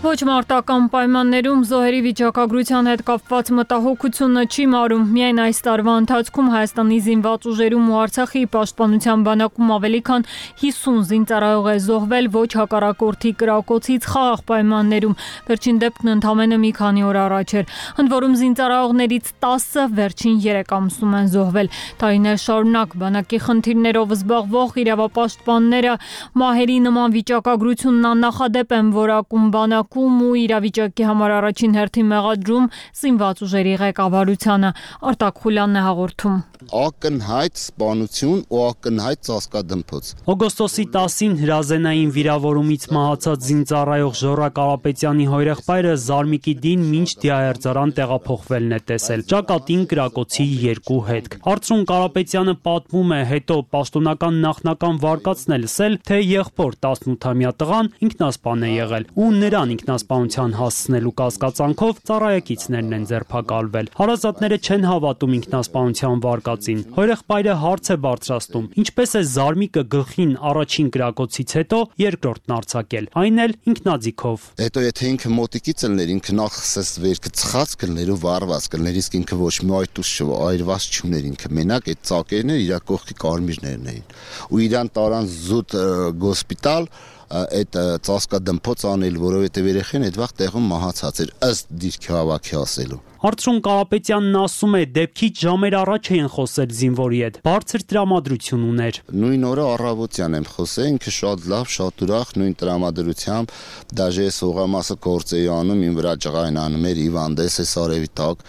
Ոչ մարտական պայմաններում զոհերի վիճակագրության հետ կապված մտահոգությունը չի մարում։ Միայն այս տարվա ընթացքում Հայաստանի զինված ուժերում ու Արցախի պաշտպանության բանակում ավելի քան հիսուն զինծառայող է զոհվել ոչ հակառակորդի կրակոցից խաղաղ պայմաններում։ Վերջին դեպքն ընդամենը մի քանի օր առաջ էր։ Ընդ որում զինծառայողներից տասը վերջին երեք ամսում են զոհվել։ Տարիներ շարունակ բանակի խնդիրներով զբաղվող իրավապաշտպանները մահերի նման վիճակագրությունն աննախադեպ են որակում բանակ ու իրավիճակի համար առաջին հերթին մեղադրում զինված ուժերի ղեկավարությանը։ Արտակ Խուլյանն է հաղորդում։ Ակնհայտ սպանություն ու ակնհայտ ծածկադմփոց։ Օգոստոսի տասին հրազենային վիրավորումից մահացած զինծառայող Ժորա Կարապետյանի հորեղբայրը Զարմիկի դին մինչ դիահերձարան տեղափոխվելն է տեսել։ Ճակատին կրակոցի երկու հետք։ Արծրուն Կարապետյանը պատմում է, հետո պաշտոնական նախնական վարկածն է լսել, թե եղբոր տասնութամյա տղան ինքնասպան է եղել ու նրան ինքնասպանության հասցնելու կասկածանքով ծառայեկիցներն են ձերբակալվել։ Հարազատները չեն հավատում ինքնասպանության վարկածին։ Հորեղբայրը հարց է բարձրացնում. ինչպես է Զարմիկը գլխին առաջին կրակոցից հետո երկրորդն արձակել, այն էլ ինքնաձիգով։ Հետո եթե ինքը մոտիկից ելներ, ինքը նախ սես վերքը ծխած կլներ ու վառված կլներ, իսկ ինքը ոչ մի այտուս այրված չուներ, ինքը մենակ այդ ծակերն էր, իր կողքի կարմիրներն էին։ Ու իրան տարան զուտ գոսպիտալ այդ ծածկադմփոց անել, որովհետև երեխեն այդ վաղ տեղում մահացած էր, ըստ դիրքի հավաքի ասելու։ Արծրուն Կարապետյանն ասում է, դեպքից ժամեր առաջ էին խոսել զինվորի հետ, բարձր տրամադրություն ուներ։ Նույն օրը առավոտյան եմ խոսել, ինքը շատ լավ, շատ ուրախ, նույն տրամադրությամբ, դաժե ես հողամասը գործ էի անում, իմ վրա ջղային անում էր հիվանդես է սարևի տակ։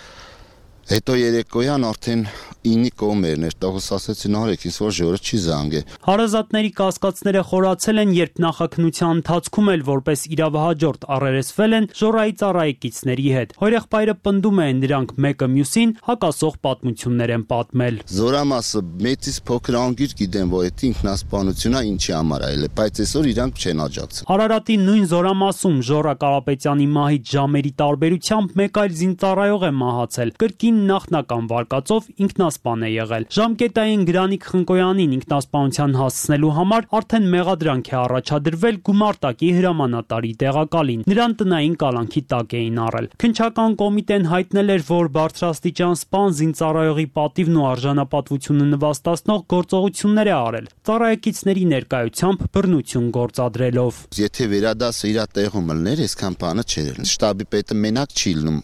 Հետո երեկոյան արդեն ինի կոմերն էր, տղուս ասեցին արեք, ինձ որ ժորը չի զանգե։ Հարազատների կասկածները խորացել են, երբ նախաքնության ընթացքում էլ որպես իրավահաջորդ առերեսվել են Ժորայի ծառայեկիցների հետ։ Հորեղբայրը պնդում է, նրանք մեկը մյուսին հակասող պատմություններ են պատմել։ Զորամասը մեծից փոքր անգիր գիտեմ, որ այդ ինքնասպանությունն ինչի համար այլ է, բայց այսօր իրանք չեն աջակցում։ Արարատի նույն զորամասում Ժորա Կարապետյանի մահից ժամերի տարբերությամբ մեկ այլ զինծառայող է մահացել։ Կրկին նախնական վարկածով ինքնասպան է եղել։ Ժամկետային Գրանիկ Խնկոյանին ինքնասպանության հասցնելու համար արդեն մեղադրանք է առաջադրվել գումարտակի հրամանատարի տեղակալին։ Նրան տնային կալանքի տակ էին առել։ Քննչական կոմիտեն հայտնել էր, որ բարձրաստիճան սպան զինծառայողի պատիվն ու արժանապատվությունը նվաստացնող գործողություններ է արել, ծառայեկիցների ներկայությամբ բռնություն գործադրելով։ Եթե վերադասը իր տեղում լներ, այսքան բանը չէր։ Շտաբի պետը մենակ չի լինում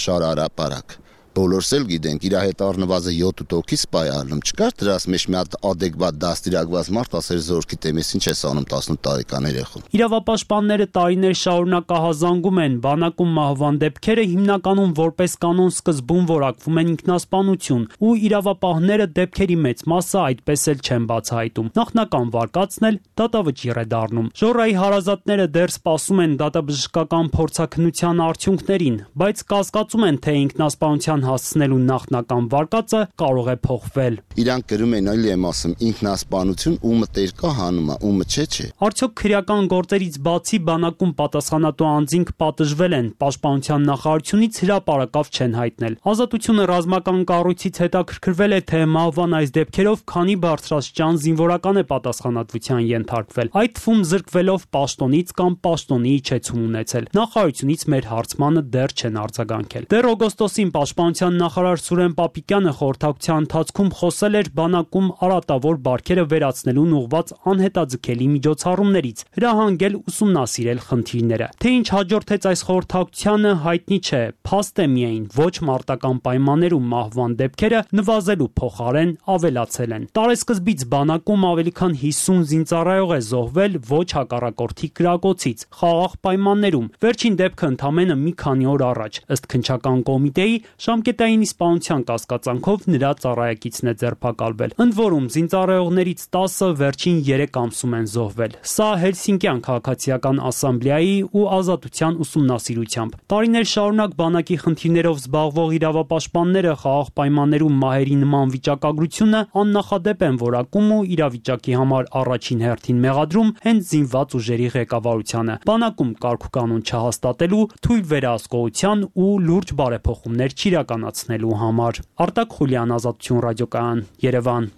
շարարապարակ։ Բոլորս էլ գիտենք, իր հետ առնվազն յոթ հոգի սպայ առնում, չկար դրաս մեջ մի հատ ադեկվատ դաստիարակված մարդ ասեր զորքի տեմես ինչ ես անում տասնութ տարեկան երեխուն։ Իրավապաշտպանները տարիներ շարունակ ահազանգում են, բանակում մահվան դեպքերը հիմնականում որպես կանոն սկզբում որակվում են ինքնասպանություն, ու իրավապահները դեպքերի մեծ մասը այդպես էլ չեն բացահայտում։ Նախնական վարկածն էլ դատավճիռ է դառնում։ Ժորայի հարազատները դեռ սպասում են դատաբժշկական փորձաքննության արդյունքներին, բայց կասկածում են, թե ինքնասպանության հասցնելու նախնական վարկածը կարող է փոխվել։ Իրանք գրում են, այլ եմ ասում, ինքնասպանություն, ումը տեր կա հանում է, ումը չէ չէ։ Արդյոք քրեական գործերից բացի բանակում պատասխանատու անձինք պատժվել են, պաշտպանության նախարարությունից հրապարակավ չեն հայտնել։ Ազատությունը ռազմական կառույցից հետաքրքրվել է, թե մահվան այս դեպքերով քանի բարձրաստիճան զինվորական է պատասխանատվության ենթարկվել, այդ թվում զրկվելով պաշտոնից կամ պաշտոնի իջեցում ունեցել։ Նախարարությունից մեր հարցմանը դեռ չեն արձագանքել։ Դեռ օգոստոսին պաշտպանության նախարար Սուրեն Պապիկյանը խորհրդակցության ընթացքում խոսել էր բանակում արատավոր բարքերը վերացնելուն ուղղված անհետաձգելի միջոցառումներից, հրահանգել ուսումնասիրել խնդիրները։ Թե ինչ հաջորդեց այս խորհրդակցությանը հայտնի չէ, փաստ է միայն ոչ մարտական պայմաններում մահվան դեպքերը նվազելու փոխարեն ավելացել են։ Տարեսկզբից բանակում ավելի քան հիսուն զինծառայող է զոհվել ոչ հակառակորդի կրակոցից, խաղաղ պայմաններում, վերջին դեպքը ընդամենը մի քանի օր առաջ, ըստ քննչական կոմիտեի, ժամկետային իսպանության կասկածանքով նրա ծառայակիցն է ձերբակալվել։ Ընդ որում զինծառայողներից տասը վերջին երեք ամսում են զոհվել։ Սա Հելսինկյան քաղաքացիական ասամբլեայի ու ազատության ուսումնասիրությամբ։ Տարիներ շարունակ բանակի խնդիրներով զբաղվող իրավապաշտպանները խաղաղ պայմաններում մահերի նման վիճակագրությունը աննախադեպ են որակում ու իրավիճակի համար առաջին հերթին մեղադրում հենց զինված ուժերի ղեկավարությանը։ Բանակում կարգուկանոն չհաստատելու, թույլ վերահսկողության ու լուրջ բարեփոխումներ չիրականացնելու համար։ Արտակ Խուլյան, Ազատություն ռադիոկայան, Երևան։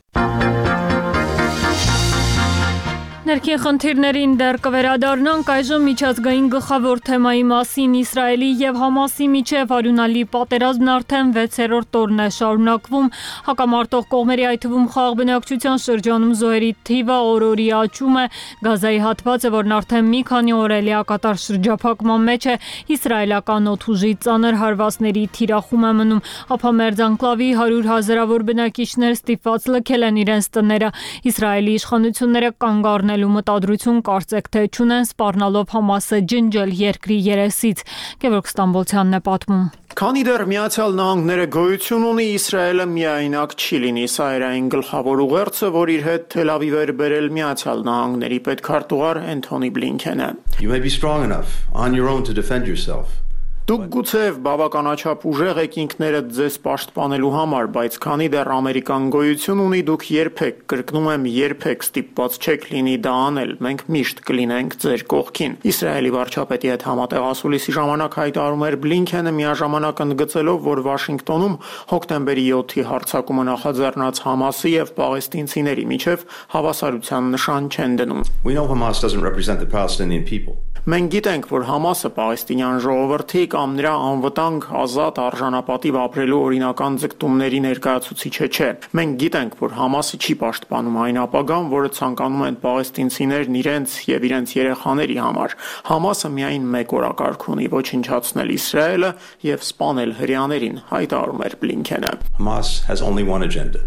Ներքին խնդիրներին դեռ կվերադառնանք, այժմ միջազգային գլխավոր թեմայի մասին։ Իսրայելի եւ Համասի միջև արյունալի պատերազմն արդեն վեցերորդ օրն է շարունակվում։ Հակամարտող կողմերի, այդ թվում խաղաղ բնակչության շրջանում զոհերի թիվը օր-օրի աճում է։ Գազայի հատվածը, որն արդեն մի քանի օր է լիակատար շրջափակման մեջ է, իսրայելական օդուժի ծանր հարվածների թիրախում է մնում։ Ափամերձ անկլավի հարյուր հազարավոր բնակիչներ ստիպված լքել են իրենց տները։ Իսրայելի իշխանությունները կանգ առնել ու մտադրություն կարծեք թե չունեն սպառնալով Համասը ջնջել երկրի երեսից։ Գևորգ Ստամբոլցյանն է պատմում։ Քանի դեռ Միացյալ Նահանգները գոյություն ունի, Իսրայելը միայնակ չի լինի։ Սա էր այն գլխավոր ուղերձը, որ իր հետ Թել Ավիվ էր բերել Միացյալ Նահանգների պետքարտուղար Էնթոնի Բլինքենը։ You may be strong enough on your own to defend yourself. Դուք գուցեև բավականաչափ ուժեղ եք ինքներդ ձեզ պաշտպանելու համար, բայց քանի դեռ Ամերիկան գոյություն ունի, դուք երբեք, կրկնում եմ, երբեք ստիպված չեք լինի դա անել։ Մենք միշտ կլինենք ձեր կողքին։ Իսրայելի վարչապետի հետ համատեղ ասուլիսի ժամանակ հայտարարում էր Բլինքենը, միաժամանակ ընդգծելով, որ Վաշինգտոնում հոկտեմբերի յոթի հարձակումը նախաձեռնած Համասի եւ պաղեստինցիների միջև հավասարության նշան չեն դնում։ We know Hamas doesn't represent the Palestinian people. Մենք գիտենք, որ Համասը պաղեստինյան ժողովրդի կամ նրա անվտանգ, ազատ, արժանապատիվ ապրելու օրինական ձգտումների ներկայացուցիչը չէ։ Մենք գիտենք, որ Համասը չի պաշտպանում այն ապագան, որը ցանկանում են պաղեստինցիներն իրենց եւ իրենց երեխաների համար։ Համասը միայն մեկ օրակարգ ունի՝ ոչնչացնել Իսրայելը եւ սպանել հրեաներին, հայտարարում էր Բլինքենը։ Hamas has only one agenda: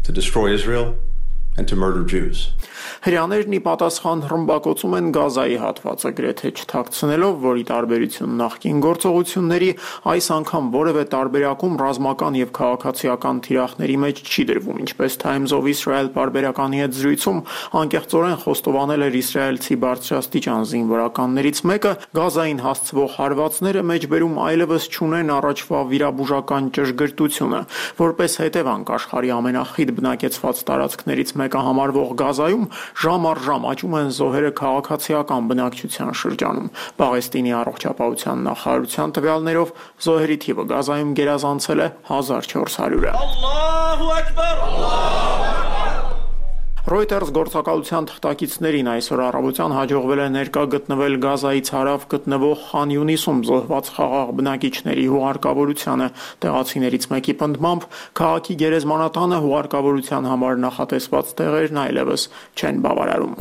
to destroy Israel and to murder Jews. Հրեաներն ի պատասխան ռմբակոծում են Գազայի հատվածը, գրեթե չթաքցնելով, որ ի տարբերություն նախկին գործողությունների, այս անգամ որևէ տարբերակում ռազմական եւ քաղաքացիական թիրախների մեջ չի դրվում, ինչպես Times of Israel պարբերականի հետ զրույցում անկեղծորեն խոստովանել էր իսրայելցի բարձրաստիճան զինվորականներից մեկը, Գազային հասցվող հարվածները մեջբերում այլևս չունեն առաջվա վիրաբուժական ճշգրտությունը, որպես հետևանք աշխարհի ամենախիտ բնակեցված տարածքներից մեկը համարվող Գազայում ժամ առ ժամ աճում են զոհերը քաղաքացիական բնակչության շրջանում։ Պաղեստինի առողջապահության նախարարության տվյալներով զոհերի թիվը Գազայում գերազանցել է հազար չորս հարյուրը։ Ալլահու ակբար։ Reuters գործակալության թղթակիցներին այսօր առավոտյան հաջողվել է ներկա գտնվել Գազայից հարավ գտնվող Խան Յունիսում զոհված խաղաղ բնակիչների հուղարկավորությանը։ Տեղացիներից մեկի պնդմամբ քաղաքի գերեզմանատանը հուղարկավորության համար նախատեսված տեղերն այլևս չեն բավարարում։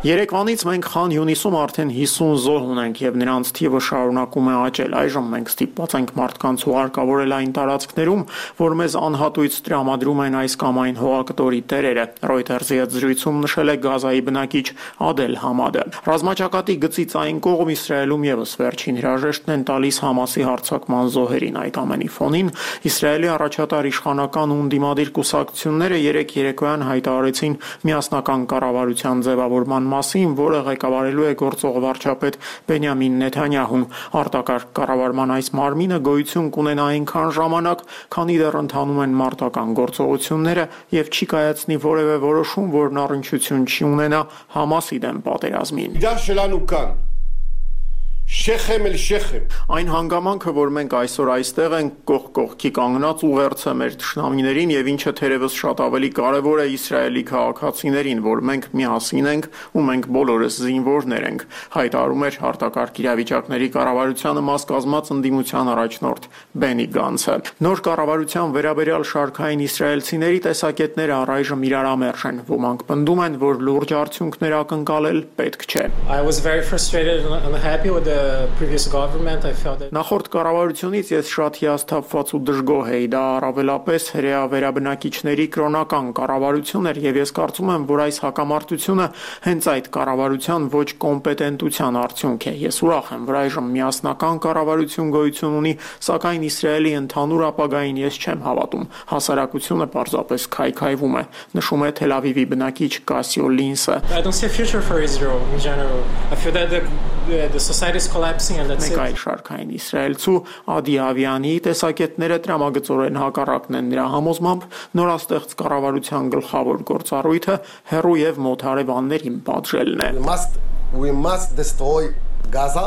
Երեկվանից մենք Խան Յունիսում արդեն հիսուն զոհ ունենք եւ նրանց թիվը շարունակում է աճել։ Այժմ մենք ստիպված ենք մարդկանց հուղարկավորել այն տարածքներում, որ մեզ անհատույց տրամադրում են այս կամ այն հողակտորի տերերը, Reuters-ի հետ զրույցում նշել է Գազայի բնակիչ Ադել Համադը։ Ռազմաճակատի գծից այն կողմ Իսրայելում եւս վերջին հրաժեշտն են տալիս Համասի հարձակման զոհերին։ Այդ ամենի ֆոնին Իսրայելի առաջատար իշխանական ու ընդդիմադիր կուսակցությունները երեք երեկոյան հայտարարեցին միասնական կառավարության ձևավորման մասին, որը ղեկավարելու է գործող վարչապետ Բենյամին Նեթանյահուն։ Արտակարգ կառավարման այս մարմինը գոյություն կունենա այնքան ժամանակ, քանի դեռ ընթանում են մարտական գործողությունները եւ չի կայացնի որևէ որոշում, որն առնչություն չի ունենա Համասի դեմ պատերազմին։ Շեխեմ էլ շեխեմ։ Այն հանգամանքը, որ մենք այսօր այստեղ ենք կողք կողքի կանգնած ուղերձը մեր թշնամիներին եւ ինչը թերևս շատ ավելի կարեւոր է Իսրայելի քաղաքացիներին, որ մենք միասին ենք ու մենք բոլորս զինվորներ ենք, հայտարարում էր արտակարգ իրավիճակների կառավարությանը մաս կազմած ընդդիմության առաջնորդ Բենի Գանցը։ Նոր կառավարության վերաբերյալ շարքային իսրայելցիների տեսակետները առայժմ իրարամերժ են։ Ոմանք պնդում են, որ լուրջ արդյունքներ ակնկալել պետք չէ։ I was very frustrated and unhappy with the previous government. I felt that Նախորդ կառավարությունից ես շատ հիասթափված ու դժգոհ էի, դա առավելապես հրեա վերաբնակիչների կրոնական կառավարություն էր եւ ես կարծում եմ, որ այս հակամարտությունը հենց այդ կառավարության ոչ կոմպետենտության արդյունք է։ Ես ուրախ եմ, որ այժմ միասնական կառավարություն գոյություն ունի, սակայն Իսրայելի ընդհանուր ապագային ես չեմ հավատում։ Հասարակությունը պարզապես քայքայվում է, նշում է Թել Ավիվի բնակիչ Կասիո Լինսը։ I don't see a future for Israel in general. I feel that the, the, the society is collapsing and that's it. Մեկ այլ շարքային իսրայելցու Ադի Ավյանի տեսակետները տրամագծորեն հակառակն են նրա համոզմամբ նորաստեղծ կառավարության գլխավոր գործառույթը հեռու եւ մոտ հարևաններին պատժելն է։ We must we must destroy Gaza.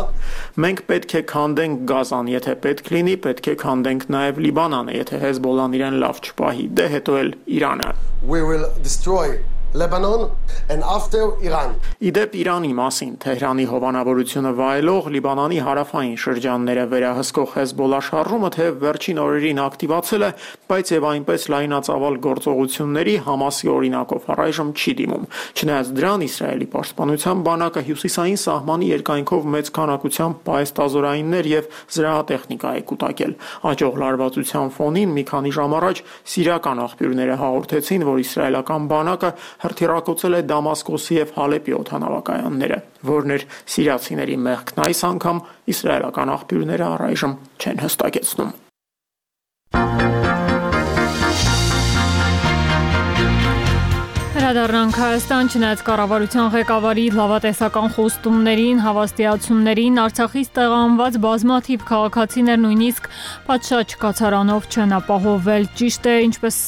Մենք պետք է քանդենք Գազան, եթե պետք լինի, պետք է քանդենք նաև Լիբանանը, եթե Հեզբոլան իրեն լավ չպահի, դե հետո էլ Իրանը։ We will destroy Lebanon and after Iran. Իդեպ Իրանի մասին Թեհրանի հովանավորությունը վայելող Լիբանանի հարավային շրջանները վերահսկող Հեզբոլա շարժումը թեև վերջին օրերին ակտիվացել է, բայց եւ այնպես լայնածավալ գործողությունների Համասի օրինակով առայժմ չի դիմում։ Չնայած դրան Իսրայելի պաշտպանության բանակը հյուսիսային սահմանի երկայնքով մեծ քանակությամբ պայեստազորայիններ եւ զրահատեխնիկա է կուտակել։ Աճող լարվածության ֆոնին մի քանի ժամ առաջ սիրիական աղբյուրները հաղորդեցին, որ իսրայելական բանակը հրթիռակոծել է Դամասկոսի եւ Հալեպի օդանավակայանները, որն էր սիրիացիների մեղքն այս անգամ իսրայելական աղբյուրները առայժմ չեն հստակեցնում։ Հրադառնանք Հայաստան, չնայած կառավարության ղեկավարի լավատեսական խոստումներին, հավաստիացումներին, Արցախից տեղահանված բազմաթիվ քաղաքացիներ նույնիսկ պատշաճ կացարանով չեն ապահովել։ Ճիշտ է, ինչպես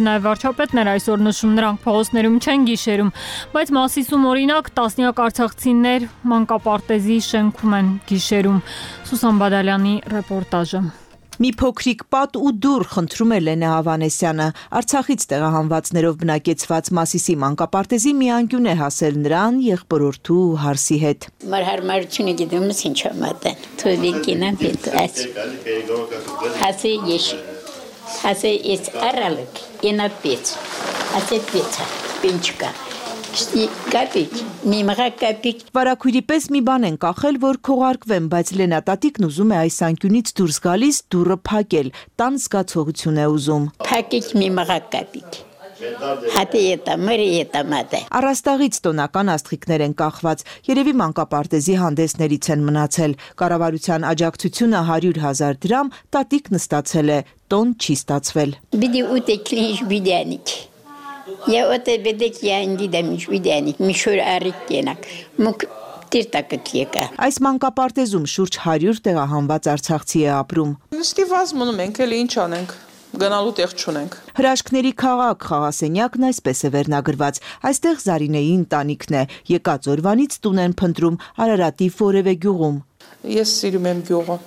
նաև վարչապետն էր այսօր նշում, նրանք փողոցներում չեն գիշերում, բայց Մասիսում օրինակ տասնյակ արցախցիներ մանկապարտեզի շենքում են գիշերում։ Սուսան Բադալյանի ռեպորտաժը։ Մի փոքրիկ պատ ու դուռ, խնդրում է Լենա Հավանեսյանը, Արցախից տեղահանվածներով բնակեցված Մասիսի մանկապարտեզի մի անկյուն է հասել նրան եղբորորդու ու հարսի հետ։ Մեր հարմարությունը գիտեմ ինչ եմ ատեն։ Թույլիկինը հետ աս։ Հասե ես։ Հասե ես արալք, ինա պից։ Ասե պիցա, պինչկա։ Կապիկ, մի մղա կապիկ։ Վարակույրի պես մի բան են կախել, որ քողարկվեն, բայց Լենա տատիկն ուզում է այս անկյունից դուրս գալիս դուռը փակել, տան զգացողություն է ուզում։ Փակիկ մի մղա կապիկ։ Հատի էտա, մերի էտա մատե։ Առաստաղից տոնական աստղիկներ են կախված, երևի մանկապարտեզի հանդեսներից են մնացել։ Կառավարության աջակցությունը հարյուր հազար դրամ, տատիկն ստացել է, տոն չի ստացվել։ Բիդի ուտեքլինչ բիդյանիկ։ Я вот бедек я не дам виденик, мишуր արիկենակ։ Մուկ տիրտակը։ Այս մանկապարտեզում շուրջ հարյուր տեղահանված արցախցի է ապրում։ Նստիված մնում ենք, էլի ինչ անենք։ Գնալու տեղ չունենք։ Հրաշքների քաղաք խաղասենյակն այսպես է վերնագրված։ Այստեղ Զարինեի ընտանիքն է, եկած օրվանից տուն են փնտրում Արարատի որևէ գյուղում։ Ես սիրում եմ գյուղը։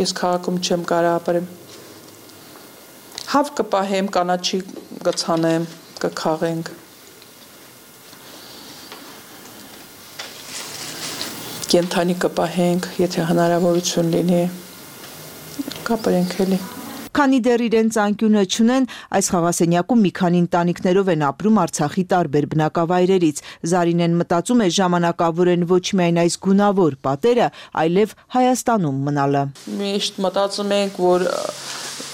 Ես քաղաքում չեմ կարող ապրեմ։ Հավ կպահեմ, կանաչի կցանեմ, կքաղենք։ Կենթանի կպահենք, եթե հնարավորություն լինի, կապրենք էլի։ Քանի դեռ իրենց անկյունը չունեն, այս խաղասենյակում մի քանի ընտանիքներով են ապրում Արցախի տարբեր բնակավայրերից։ Զարինեն մտածում է ժամանակավոր են ոչ միայն այս գունավոր պատերը, այլև Հայաստանում մնալը։ Միշտ մտածում ենք, որ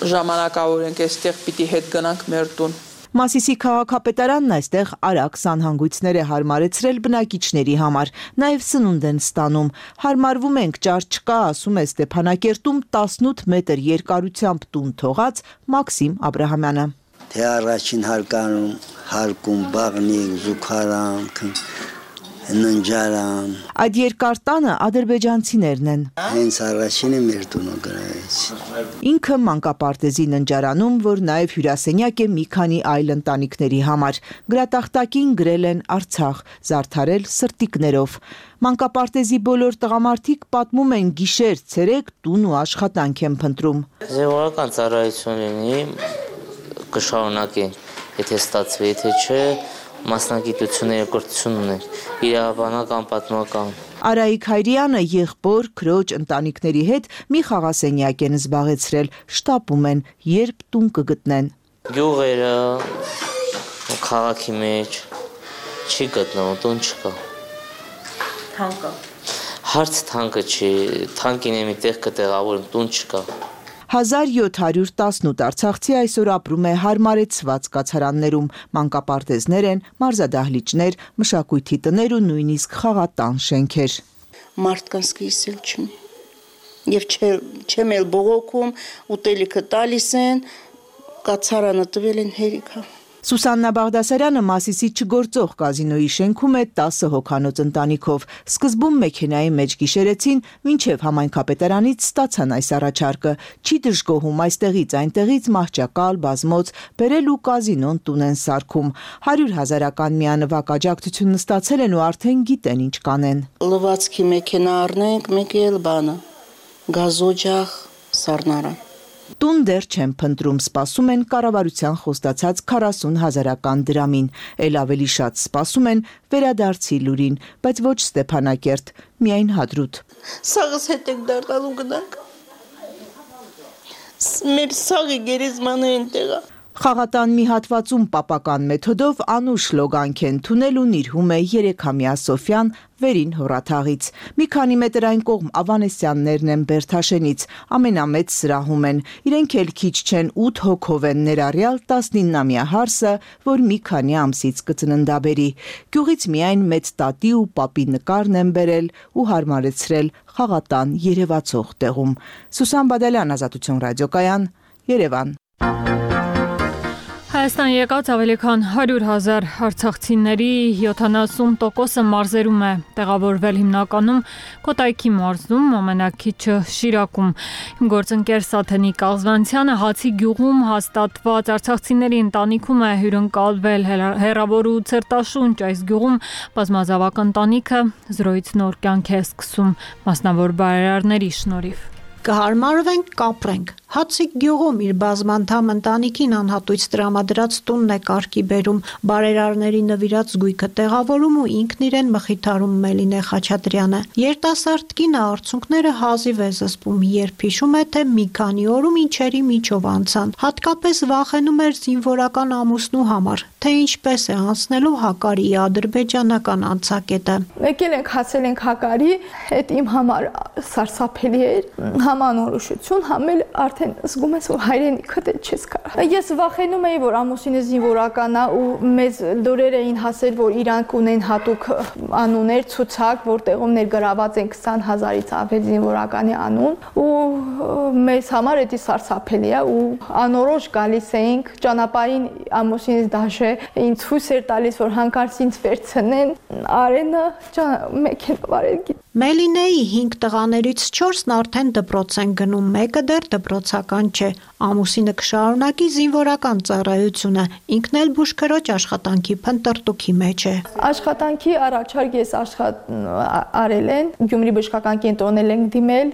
ժամանակավոր ենք այստեղ պիտի հետ գնանք մեր տուն։ Մասիսի քաղաքապետարանն այստեղ արագ սանհանգույցներ է հարմարեցրել բնակիչների համար, նաև սնունդ են ստանում։ Հարմարվում ենք, ճար չկա, ասում է Ստեփանակերտում տասնութ մետր երկարությամբ տուն թողած Մաքսիմ Աբրահամյանը։ Թե առաջին հարկանում, հարկում բաղնիկ, զուգարան, ննջարան։ Այդ երկար տանը ադրբեջանցիներն են։ Հենց առաջինը մեր տունը գրավեց։ Ինքը մանկապարտեզի ննջարանում, որ նաև հյուրասենյակ է մի քանի այլ ընտանիքների համար։ Գրատախտակին գրել են Արցախ, զարդարել սրտիկներով։ Մանկապարտեզի բոլոր տղամարդիկ պատմում են գիշեր, ցերեկ տուն ու աշխատանք են փնտրում։ Զինվորական ծառայություն լինի, կշարունակենք, եթե ստացվի, եթե չէ, մասնագիտություն երկրություն ունենք, իրավաբանական, պատմական։ Արայիկ Հայրյանը եղբոր, քրոջ, ընտանիքների հետ մի խաղասենյակ են զբաղեցրել, շտապում են, երբ տուն կգտնեն։ Գյուղերը, քաղաքի մեջ չի գտնվում, տուն չկա։ Թանկը։ Հարց թանկը չի, թանկին է մի տեղ կտեղավորում, տուն չկա։ հազար յոթ հարյուր տասնութ արցախցի այսօր ապրում է հարմարեցված կացարաններում, մանկապարտեզներ են, մարզադահլիճներ, մշակույթի տներ ու նույնիսկ խաղատան շենքեր։ Մարդկանց կիսել չունի։ Եվ չեմ էլ բողոքում, ուտելիքը տալիս են, կացարանը տվել են հերիքա։ Սուսաննա Բաղդասարյանը Մասիսի չգործող կազինոյի շենքում է տասը հոգանոց ընտանիքով։ Սկզբում մեքենայի մեջ գիշերեցին, մինչև համայնքապետարանից ստացան այս առաջարկը։ Չի դժգոհում այստեղից այնտեղից մահճակալ, բազմոց, բերել ու կազինոն տուն են սարքում։ հարյուր հազարական միանվագ աջակցություն ստացել են ու արդեն գիտեն ինչ կանեն։ Լվացքի մեքենա առնենք, մեկ էլ բանը, գազօջախ, սառնարան։ Տուն դեռ չեն փնտրում, սպասում են կառավարության խոստացած քառասուն հազարական դրամին, էլ ավելի շատ սպասում են վերադարձի լուրին, բայց ոչ Ստեփանակերտ, միայն Հադրութ։ Սաղս հետ եք դառնալու գնանք։ Մեր սաղի գերեզմանը այնտեղ է։ Խաղատան մի հատվածում պապական մեթոդով Անուշ լոգանք են թունել ու նիրհում է երեքամյա Սոֆյան վերին հորաթաղից։ Մի քանի մետր այն կողմ Ավանեսյաններն են Բերթաշենից, ամենամեծ սրահում են։ Իրենք էլ քիչ չեն ութ հոգով են ներառյալ տասնիննամյա հարսը, որ մի քանի ամսից կծննդաբերի։ Գյուղից միայն մեծ տատի ու պապի նկարն են բերել ու հարմարեցրել խաղատան երևացող տեղում։ Սուսան Բադալյան, Ազատություն ռադիոկայան, Երևան։ Հայաստան եկած ավելի քան հարյուր հազար արցախցիների յոթանասուն տոկոսը մարզերում է տեղավորվել հիմնականում Կոտայքի մարզում, ամենաքիչը Շիրակում։ Գործընկեր Սաթենիկ Աղզվանցյանը Հացի գյուղում հաստատված արցախցիների ընտանիքում է հյուրընկալվել հեռավոր ու ցերտաշունչ այս գյուղում բազմազավակ ընտանիքը զրոյից նոր կյանք է սկսում մասնավոր բարերարների շնորհիվ։ Կհարմարվենք, կապրենք։ Հացի գյուղում իր բազմանդամ ընտանիքին անհատույց տրամադրած տունն է կարգի բերում, բարերարների նվիրած զույգը տեղավորում ու ինքն իրեն մխիթարում Մելինե Խաչատրյանը։ Երիտասարդ կինը արցունքները հազիվ է զսպում, երբ հիշում է, թե մի քանի օրում ինչերի միջով անցան։ Հատկապես վախենում էր զինվորական ամուսնու համար, թե ինչպես է անցնելու Հակարիի ադրբեջանական անցակետը։ Եկել ենք, հասել ենք Հակարի, այդ իմ համար սարսափելի էր, համանորոշություն, համել արդեն զգում ես, որ հայրենիքդ էլ չես կարող։ Ես վախենում էի, որ ամուսինը զինվորական է ու մեզ լուրեր էին հասել, որ իրանք ունեն հատուկ անուններ, ցուցակ, որտեղում ներգրաված են քսան հազարից ավել զինվորականի անուն ու մեզ համար դա սարսափելի է ու անորոշ գալիս էինք ճանապարհին ամուսինս դաշե ինձ հույս էր տալիս, որ հանկարծ ինձ վերցնեն Արենը մեքենա վարել։ Մելինեի հինգ տղաներից չորսն արդեն դպրոց են գնում, մեկը դեռ դպրոցական չէ։ Ամուսինը կշարունակի զինվորական ծառայությունը, ինքն էլ բուժքրոջ աշխատանքի փնտրտուքի մեջ է։ Աշխատանքի առաջարկ ես աշխատ արել են, Գյումրի բժշկական կենտրոնել ենք դիմել,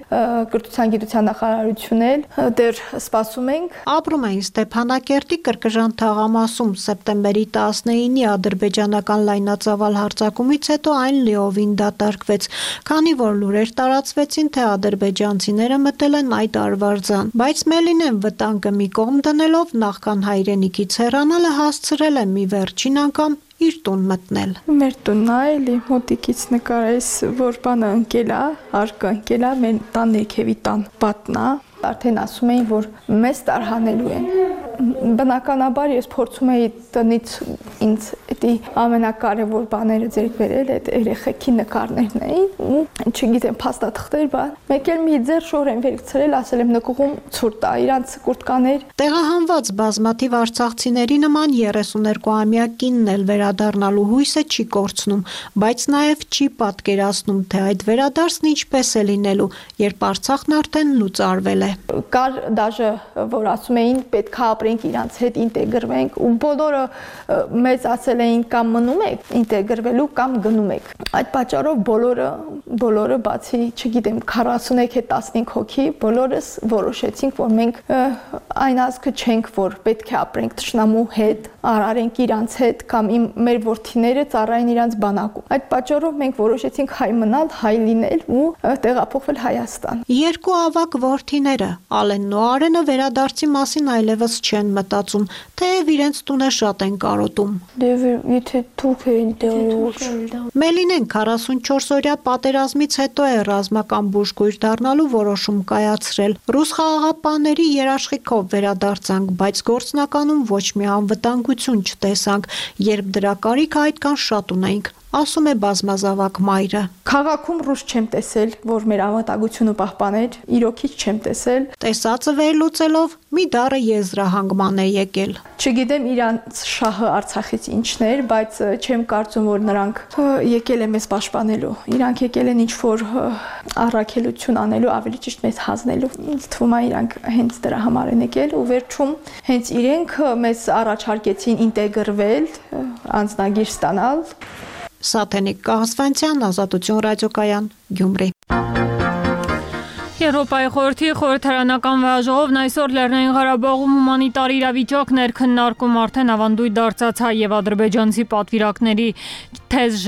կրթության գիտության նախարարություն էլ դեռ սպասում ենք։ Ապրում են Ստեփանակերտի Կրկժան թաղամասում սեպտեմբերի տասնինի ադրբեջանական լայնածավալ հարձակումից հետո այն լիովին դատարկվեց, քանի որ լուրեր տարածվեցին, թե ադրբեջանցիները մտել են այդ արվարձան, բայց Մելինեն վտանգը մի կողմ դնելով նախքան հայրենիքից հեռանալը հասցրել է մի վերջին անգամ իր տուն մտնել։ Մեր տունն է, էլի մոտիկից նկարես, որ բանը ընկել է, արկը ընկել է, մեր տան ներքևի տան պատն է, արդեն ասում էին, որ մեզ տարհանելու են։ Բնականաբար ես փորձում էի տնից ինձ դա ամենակարևոր բաները ձեռք բերել, այդ երեխեքի նկարներն էին, ու չգիտեմ, փաստաթղթեր բան։ Մեկ էլ մի ձեռ շոր եմ վերցրել, ասել եմ նկուղում ցուրտ տա, իրանց կուրտկաներ։ Տեղահանված բազմաթիվ արցախցիների նման երեսուներկուամյա կինն էլ վերադառնալու հույսը չի կորցնում, բայց նաև չի պատկերացնում, թե այդ վերադարձն ինչպես է լինելու, երբ Արցախն արդեն լուծարվել է։ Կար դաժե, որ ասում էին պետք է ապրենք իրանց հետ, ինտեգրվենք, ու բոլորը մեզ ասել էին կամ մնում եք ինտեգրվելու կամ գնում եք։ Այդ պատճառով բոլորը, բոլորը բացի, չգիտեմ, քառասունեք թե տասնհինգ հոգի, բոլորս որոշեցինք, որ մենք այն ազգը չենք, որ պետք է ապրենք թշնամու հետ, արարենք իրանց հետ կամ իմ մեր որդիները ծառայեն իրանց բանակում։ Այդ պատճառով մենք որոշեցինք հայ մնալ, հայ լինել ու տեղափոխվել Հայաստան։ Երկու ավագ որդիները, Ալենն ու Արենը վերադարձի մասին այլևս չեն մտածում, թեև իրենց տունը շատ են կարոտում։ Եթե թուրք էին տեղի։ Մելինեն քառասունչորս օրյա պատերազմից հետո է ռազմական բուժկույր դառնալու որոշում կայացրել։ Ռուս խաղաղապահների երաշխիքով վերադարձանք, բայց գործնականում ոչ մի անվտանգություն չտեսանք, երբ դրա կարիքը այդքան շատ ունեինք, ասում է բազմազավակ մայրը։ Քաղաքում ռուս չեմ տեսել, որ մեր անվտանգությունը պահպաներ, իրոքից չեմ տեսել։ Տեսածը վերլուծելով մի դառը եզրահանգման է եկել։ Չգիտեմ իրանց շահը Արցախից ինչն էր, բայց չեմ կարծում, որ նրանք եկել են մեզ պաշտպանելու։ Իրանք եկել են ինչ-որ առաքելություն անելու, ավելի ճիշտ մեզ հանձնելու։ Ինձ թվում է իրանք հենց դրա համար են եկել ու վերջում հենց իրենք մեզ առաջարկեցին ինտեգրվել, անձնագիր ստանալ։ Սաթենիկ Կաղասվանցյան, Ազատություն ռադիոկայան, Գյումրի։ Եվրոպայի խորհրդի խորհրդարանական վեհաժողովն այսօր Լեռնային Ղարաբաղում հումանիտար իրավիճակն էր քննարկում, արդեն ավանդույթ դարձած հայ եւ ադրբեջանցի պատվիրակների թեժ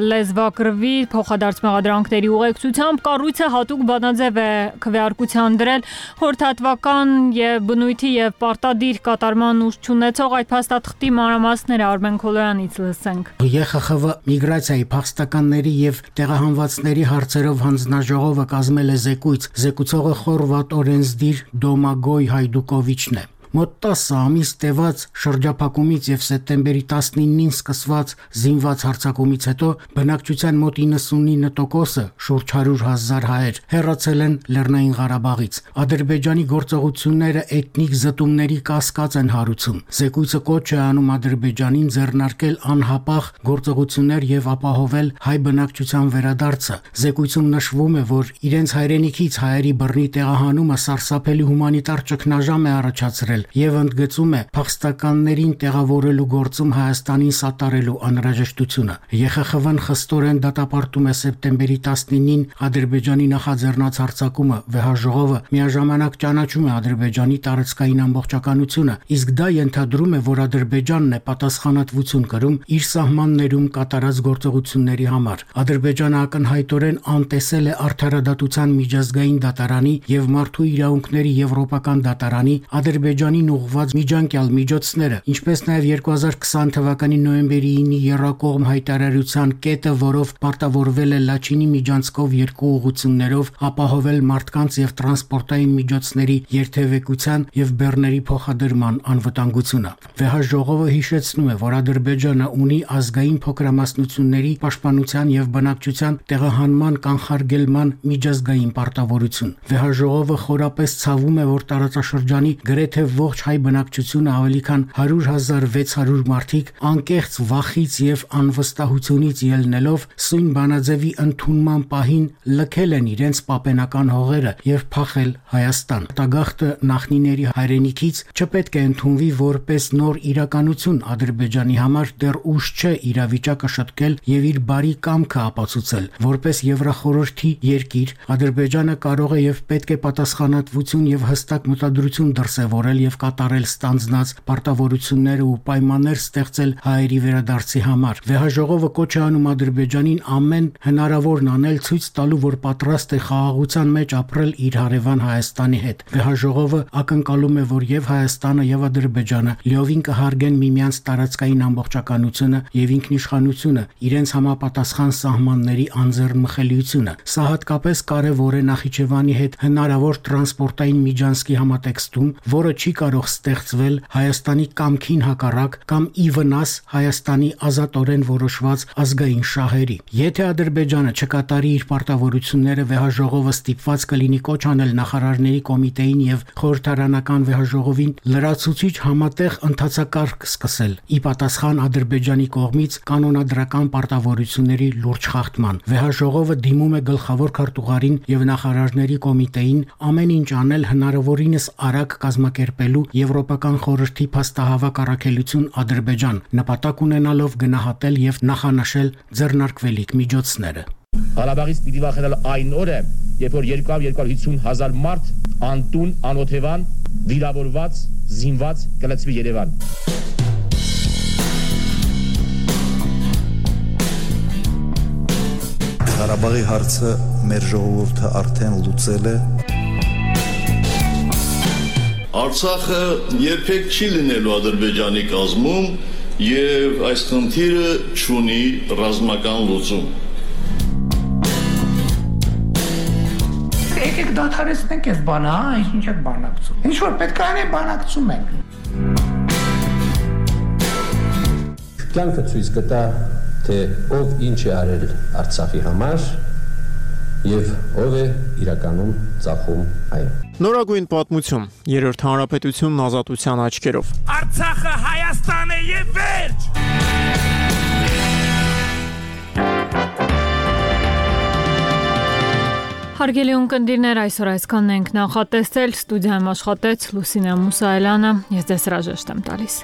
լեզվակռվի փոխադարձ մեղադրանքների ուղեկցությամբ կառույցը հատուկ բանաձև է քվեարկության դրել խորհրդատվական եւ բնույթի եւ պարտադիր կատարման ուժ չունեցող այդ փաստաթղթի մանրամասները Արմեն Քոլոյանից լսենք։ ԵԽԽՎ միգրացիայի փախստականների եւ տեղահանվածների հարցերով հանձնաժողովը կազմել է զեկույց, զեկուցողը խորվատ օրենսդիր Դոմագոյ Հայդուկովիչն է։ Մոտ տասը ամիս տևած շրջափակումից եւ սեպտեմբերի տասնինին սկսված զինված հարձակումից հետո բնակչության մոտ իննսունինը տոկոսը շուրջ հարյուր հազար հայեր հեռացել են Լեռնային Ղարաբաղից։ Ադրբեջանի գործողությունները էթնիկ զտումների կասկած են հարուցում։ Զեկույցը կոչ է անում Ադրբեջանին ձեռնարկել անհապաղ գործողություններ եւ ապահովել հայ բնակչության վերադարձը։ Զեկույցում նշվում է, որ իրենց հայրենիքից հայերի բռնի տեղահանումը սարսափելի հումանիտար ճգնաժամ է առաջացրել եւ ընդգծում է փախստականներին տեղավորելու գործում Հայաստանին սատարելու անհրաժեշտությունը։ ԵԽԽՎ-ն խստորեն դատապարտում է սեպտեմբերի տասնինին Ադրբեջանի նախաձեռնած հարձակումը, վեհաժողովը միաժամանակ ճանաչում է Ադրբեջանի տարածքային ամբողջականությունը, իսկ դա ենթադրում է, որ Ադրբեջանն է պատասխանատվություն կրում իր սահմաններում կատարած գործողությունների համար։ Ադրբեջանը ակնհայտորեն անտեսել է Արդարադատության միջազգային դատարանի եւ Մարդու իրավունքների եվրոպական դատարանի Ադրբեջանին ուղղված միջանկյալ միջոցները, ինչպես նաև երկու հազար քսան թվականի նոյեմբերի ինի եռակողմ հայտարարության կետը, որով պարտավորվել է Լաչինի միջանցքով երկու ուղղություններով ապահովել մարդկանց եւ տրանսպորտային միջոցների երթևեկության եւ բեռների փոխադրման անվտանգությունը։ Վեհաժողովը հիշեցնում է, որ Ադրբեջանը ունի ազգային փոքրամասնությունների պաշտպանության եւ բնակչության տեղահանման կանխարգելման միջազգային պարտավորություն։ Վեհաժողովը խորապես ցավում է, որ տարածաշրջանի գրեթե ողջ հայ բնակչությունը ավելի քան հարյուր հազար վեց հարյուր մարդիկ անկեղծ վախից եւ անվստահությունից ելնելով սույն բանաձևի ընդունման պահին լքել են իրենց պապենական հողերը եւ փախել Հայաստան։ Տագաղթը նախնիների հայրենիքից չպետք է ընդունվի որպես նոր իրականություն Ադրբեջանի համար դեռ ուշ չէ իրավիճակը շտկել եւ իր բարի կամքը ապացուցել։ Որպես Եվրախորհրդի երկիր Ադրբեջանը կարող է եւ պետք է պատասխանատվություն եւ հստակ մտադրություն դրսեւորել եւ կատարել ստանձնած պարտավորությունները ու պայմաններ ստեղծել հայերի վերադարձի համար։ Վեհաժողովը կոչ է անում Ադրբեջանին ամեն հնարավորն անել ցույց տալու, որ պատրաստ է խաղաղության մեջ ապրել իր հարևան Հայաստանի հետ։ Վեհաժողովը ակնկալում է, որ եւ Հայաստանը եւ Ադրբեջանը լիովին կհարգեն միմյանց տարածքային ամբողջականությունը եւ ինքնիշխանությունը, իրենց համապատասխան սահմանների անձեռնմխելիությունը։ Սա հատկապես կարևոր է Նախիջևանի հետ հնարավոր տրանսպորտային միջանցքի համատեքստում, որը չի կարող ստեղծվել Հայաստանի կամքին հակառակ կամ ի վնաս Հայաստանի ազատորեն որոշված ազգային շահերի։ Եթե Ադրբեջանը չկատարի իր պարտավորությունները, վեհաժողովը ստիպված կլինի կոչ անել նախարարների կոմիտեին եւ խորհրդարանական վեհաժողովին լրացուցիչ համատեղ ընթացակարգ սկսել՝ ի պատասխան Ադրբեջանի կողմից կանոնադրական պարտավորությունների լուրջ խախտման։ Վեհաժողովը դիմում է գլխավոր քարտուղարին եւ նախարարների կոմիտեին ամեն ինչ անել հնարավորինս արագ կազմակերպելու Եվրոպական խորհրդի փաստահավաք առաքելություն Ադրբեջան, նպատակ ունենալով գնահատել եւ նախանշել ձեռնարկվելիք միջոցները։ Ղարաբաղից պիտի վախենալ այն օրը, երբ որ երկու հարյուր հինգ հազար մարդ անտուն, անօթևան, վիրավորված, զինված կլցվի Երևան։ Ղարաբաղի հարցը մեր ժողովուրդը արդեն լուծել է։ Արցախը երբեք չի լինելու Ադրբեջանի կազմում եւ այս խնդիրը չունի ռազմական լուծում։ Եկեք դադարեցնենք այս բանը, հա, ինչ եք բանակցում։ Ինչ որ պետք է անենք, բանակցում ենք։ Կյանքը ցույց կտա, թե ով ինչ է արել Արցախի համար եւ ով է իրականում ծախում այն։ Նորագույն պատմություն, երրորդ հանրապետությունն ազատության աչքերով։ Արցախը Հայաստան է եւ վերջ։ Հարգելի ունկնդիրներ, այսօր այսքանն ենք նախատեսել, ստուդիայում աշխատեց Լուսինե Մուսայելյանը, ես ձեզ հրաժեշտ եմ տալիս։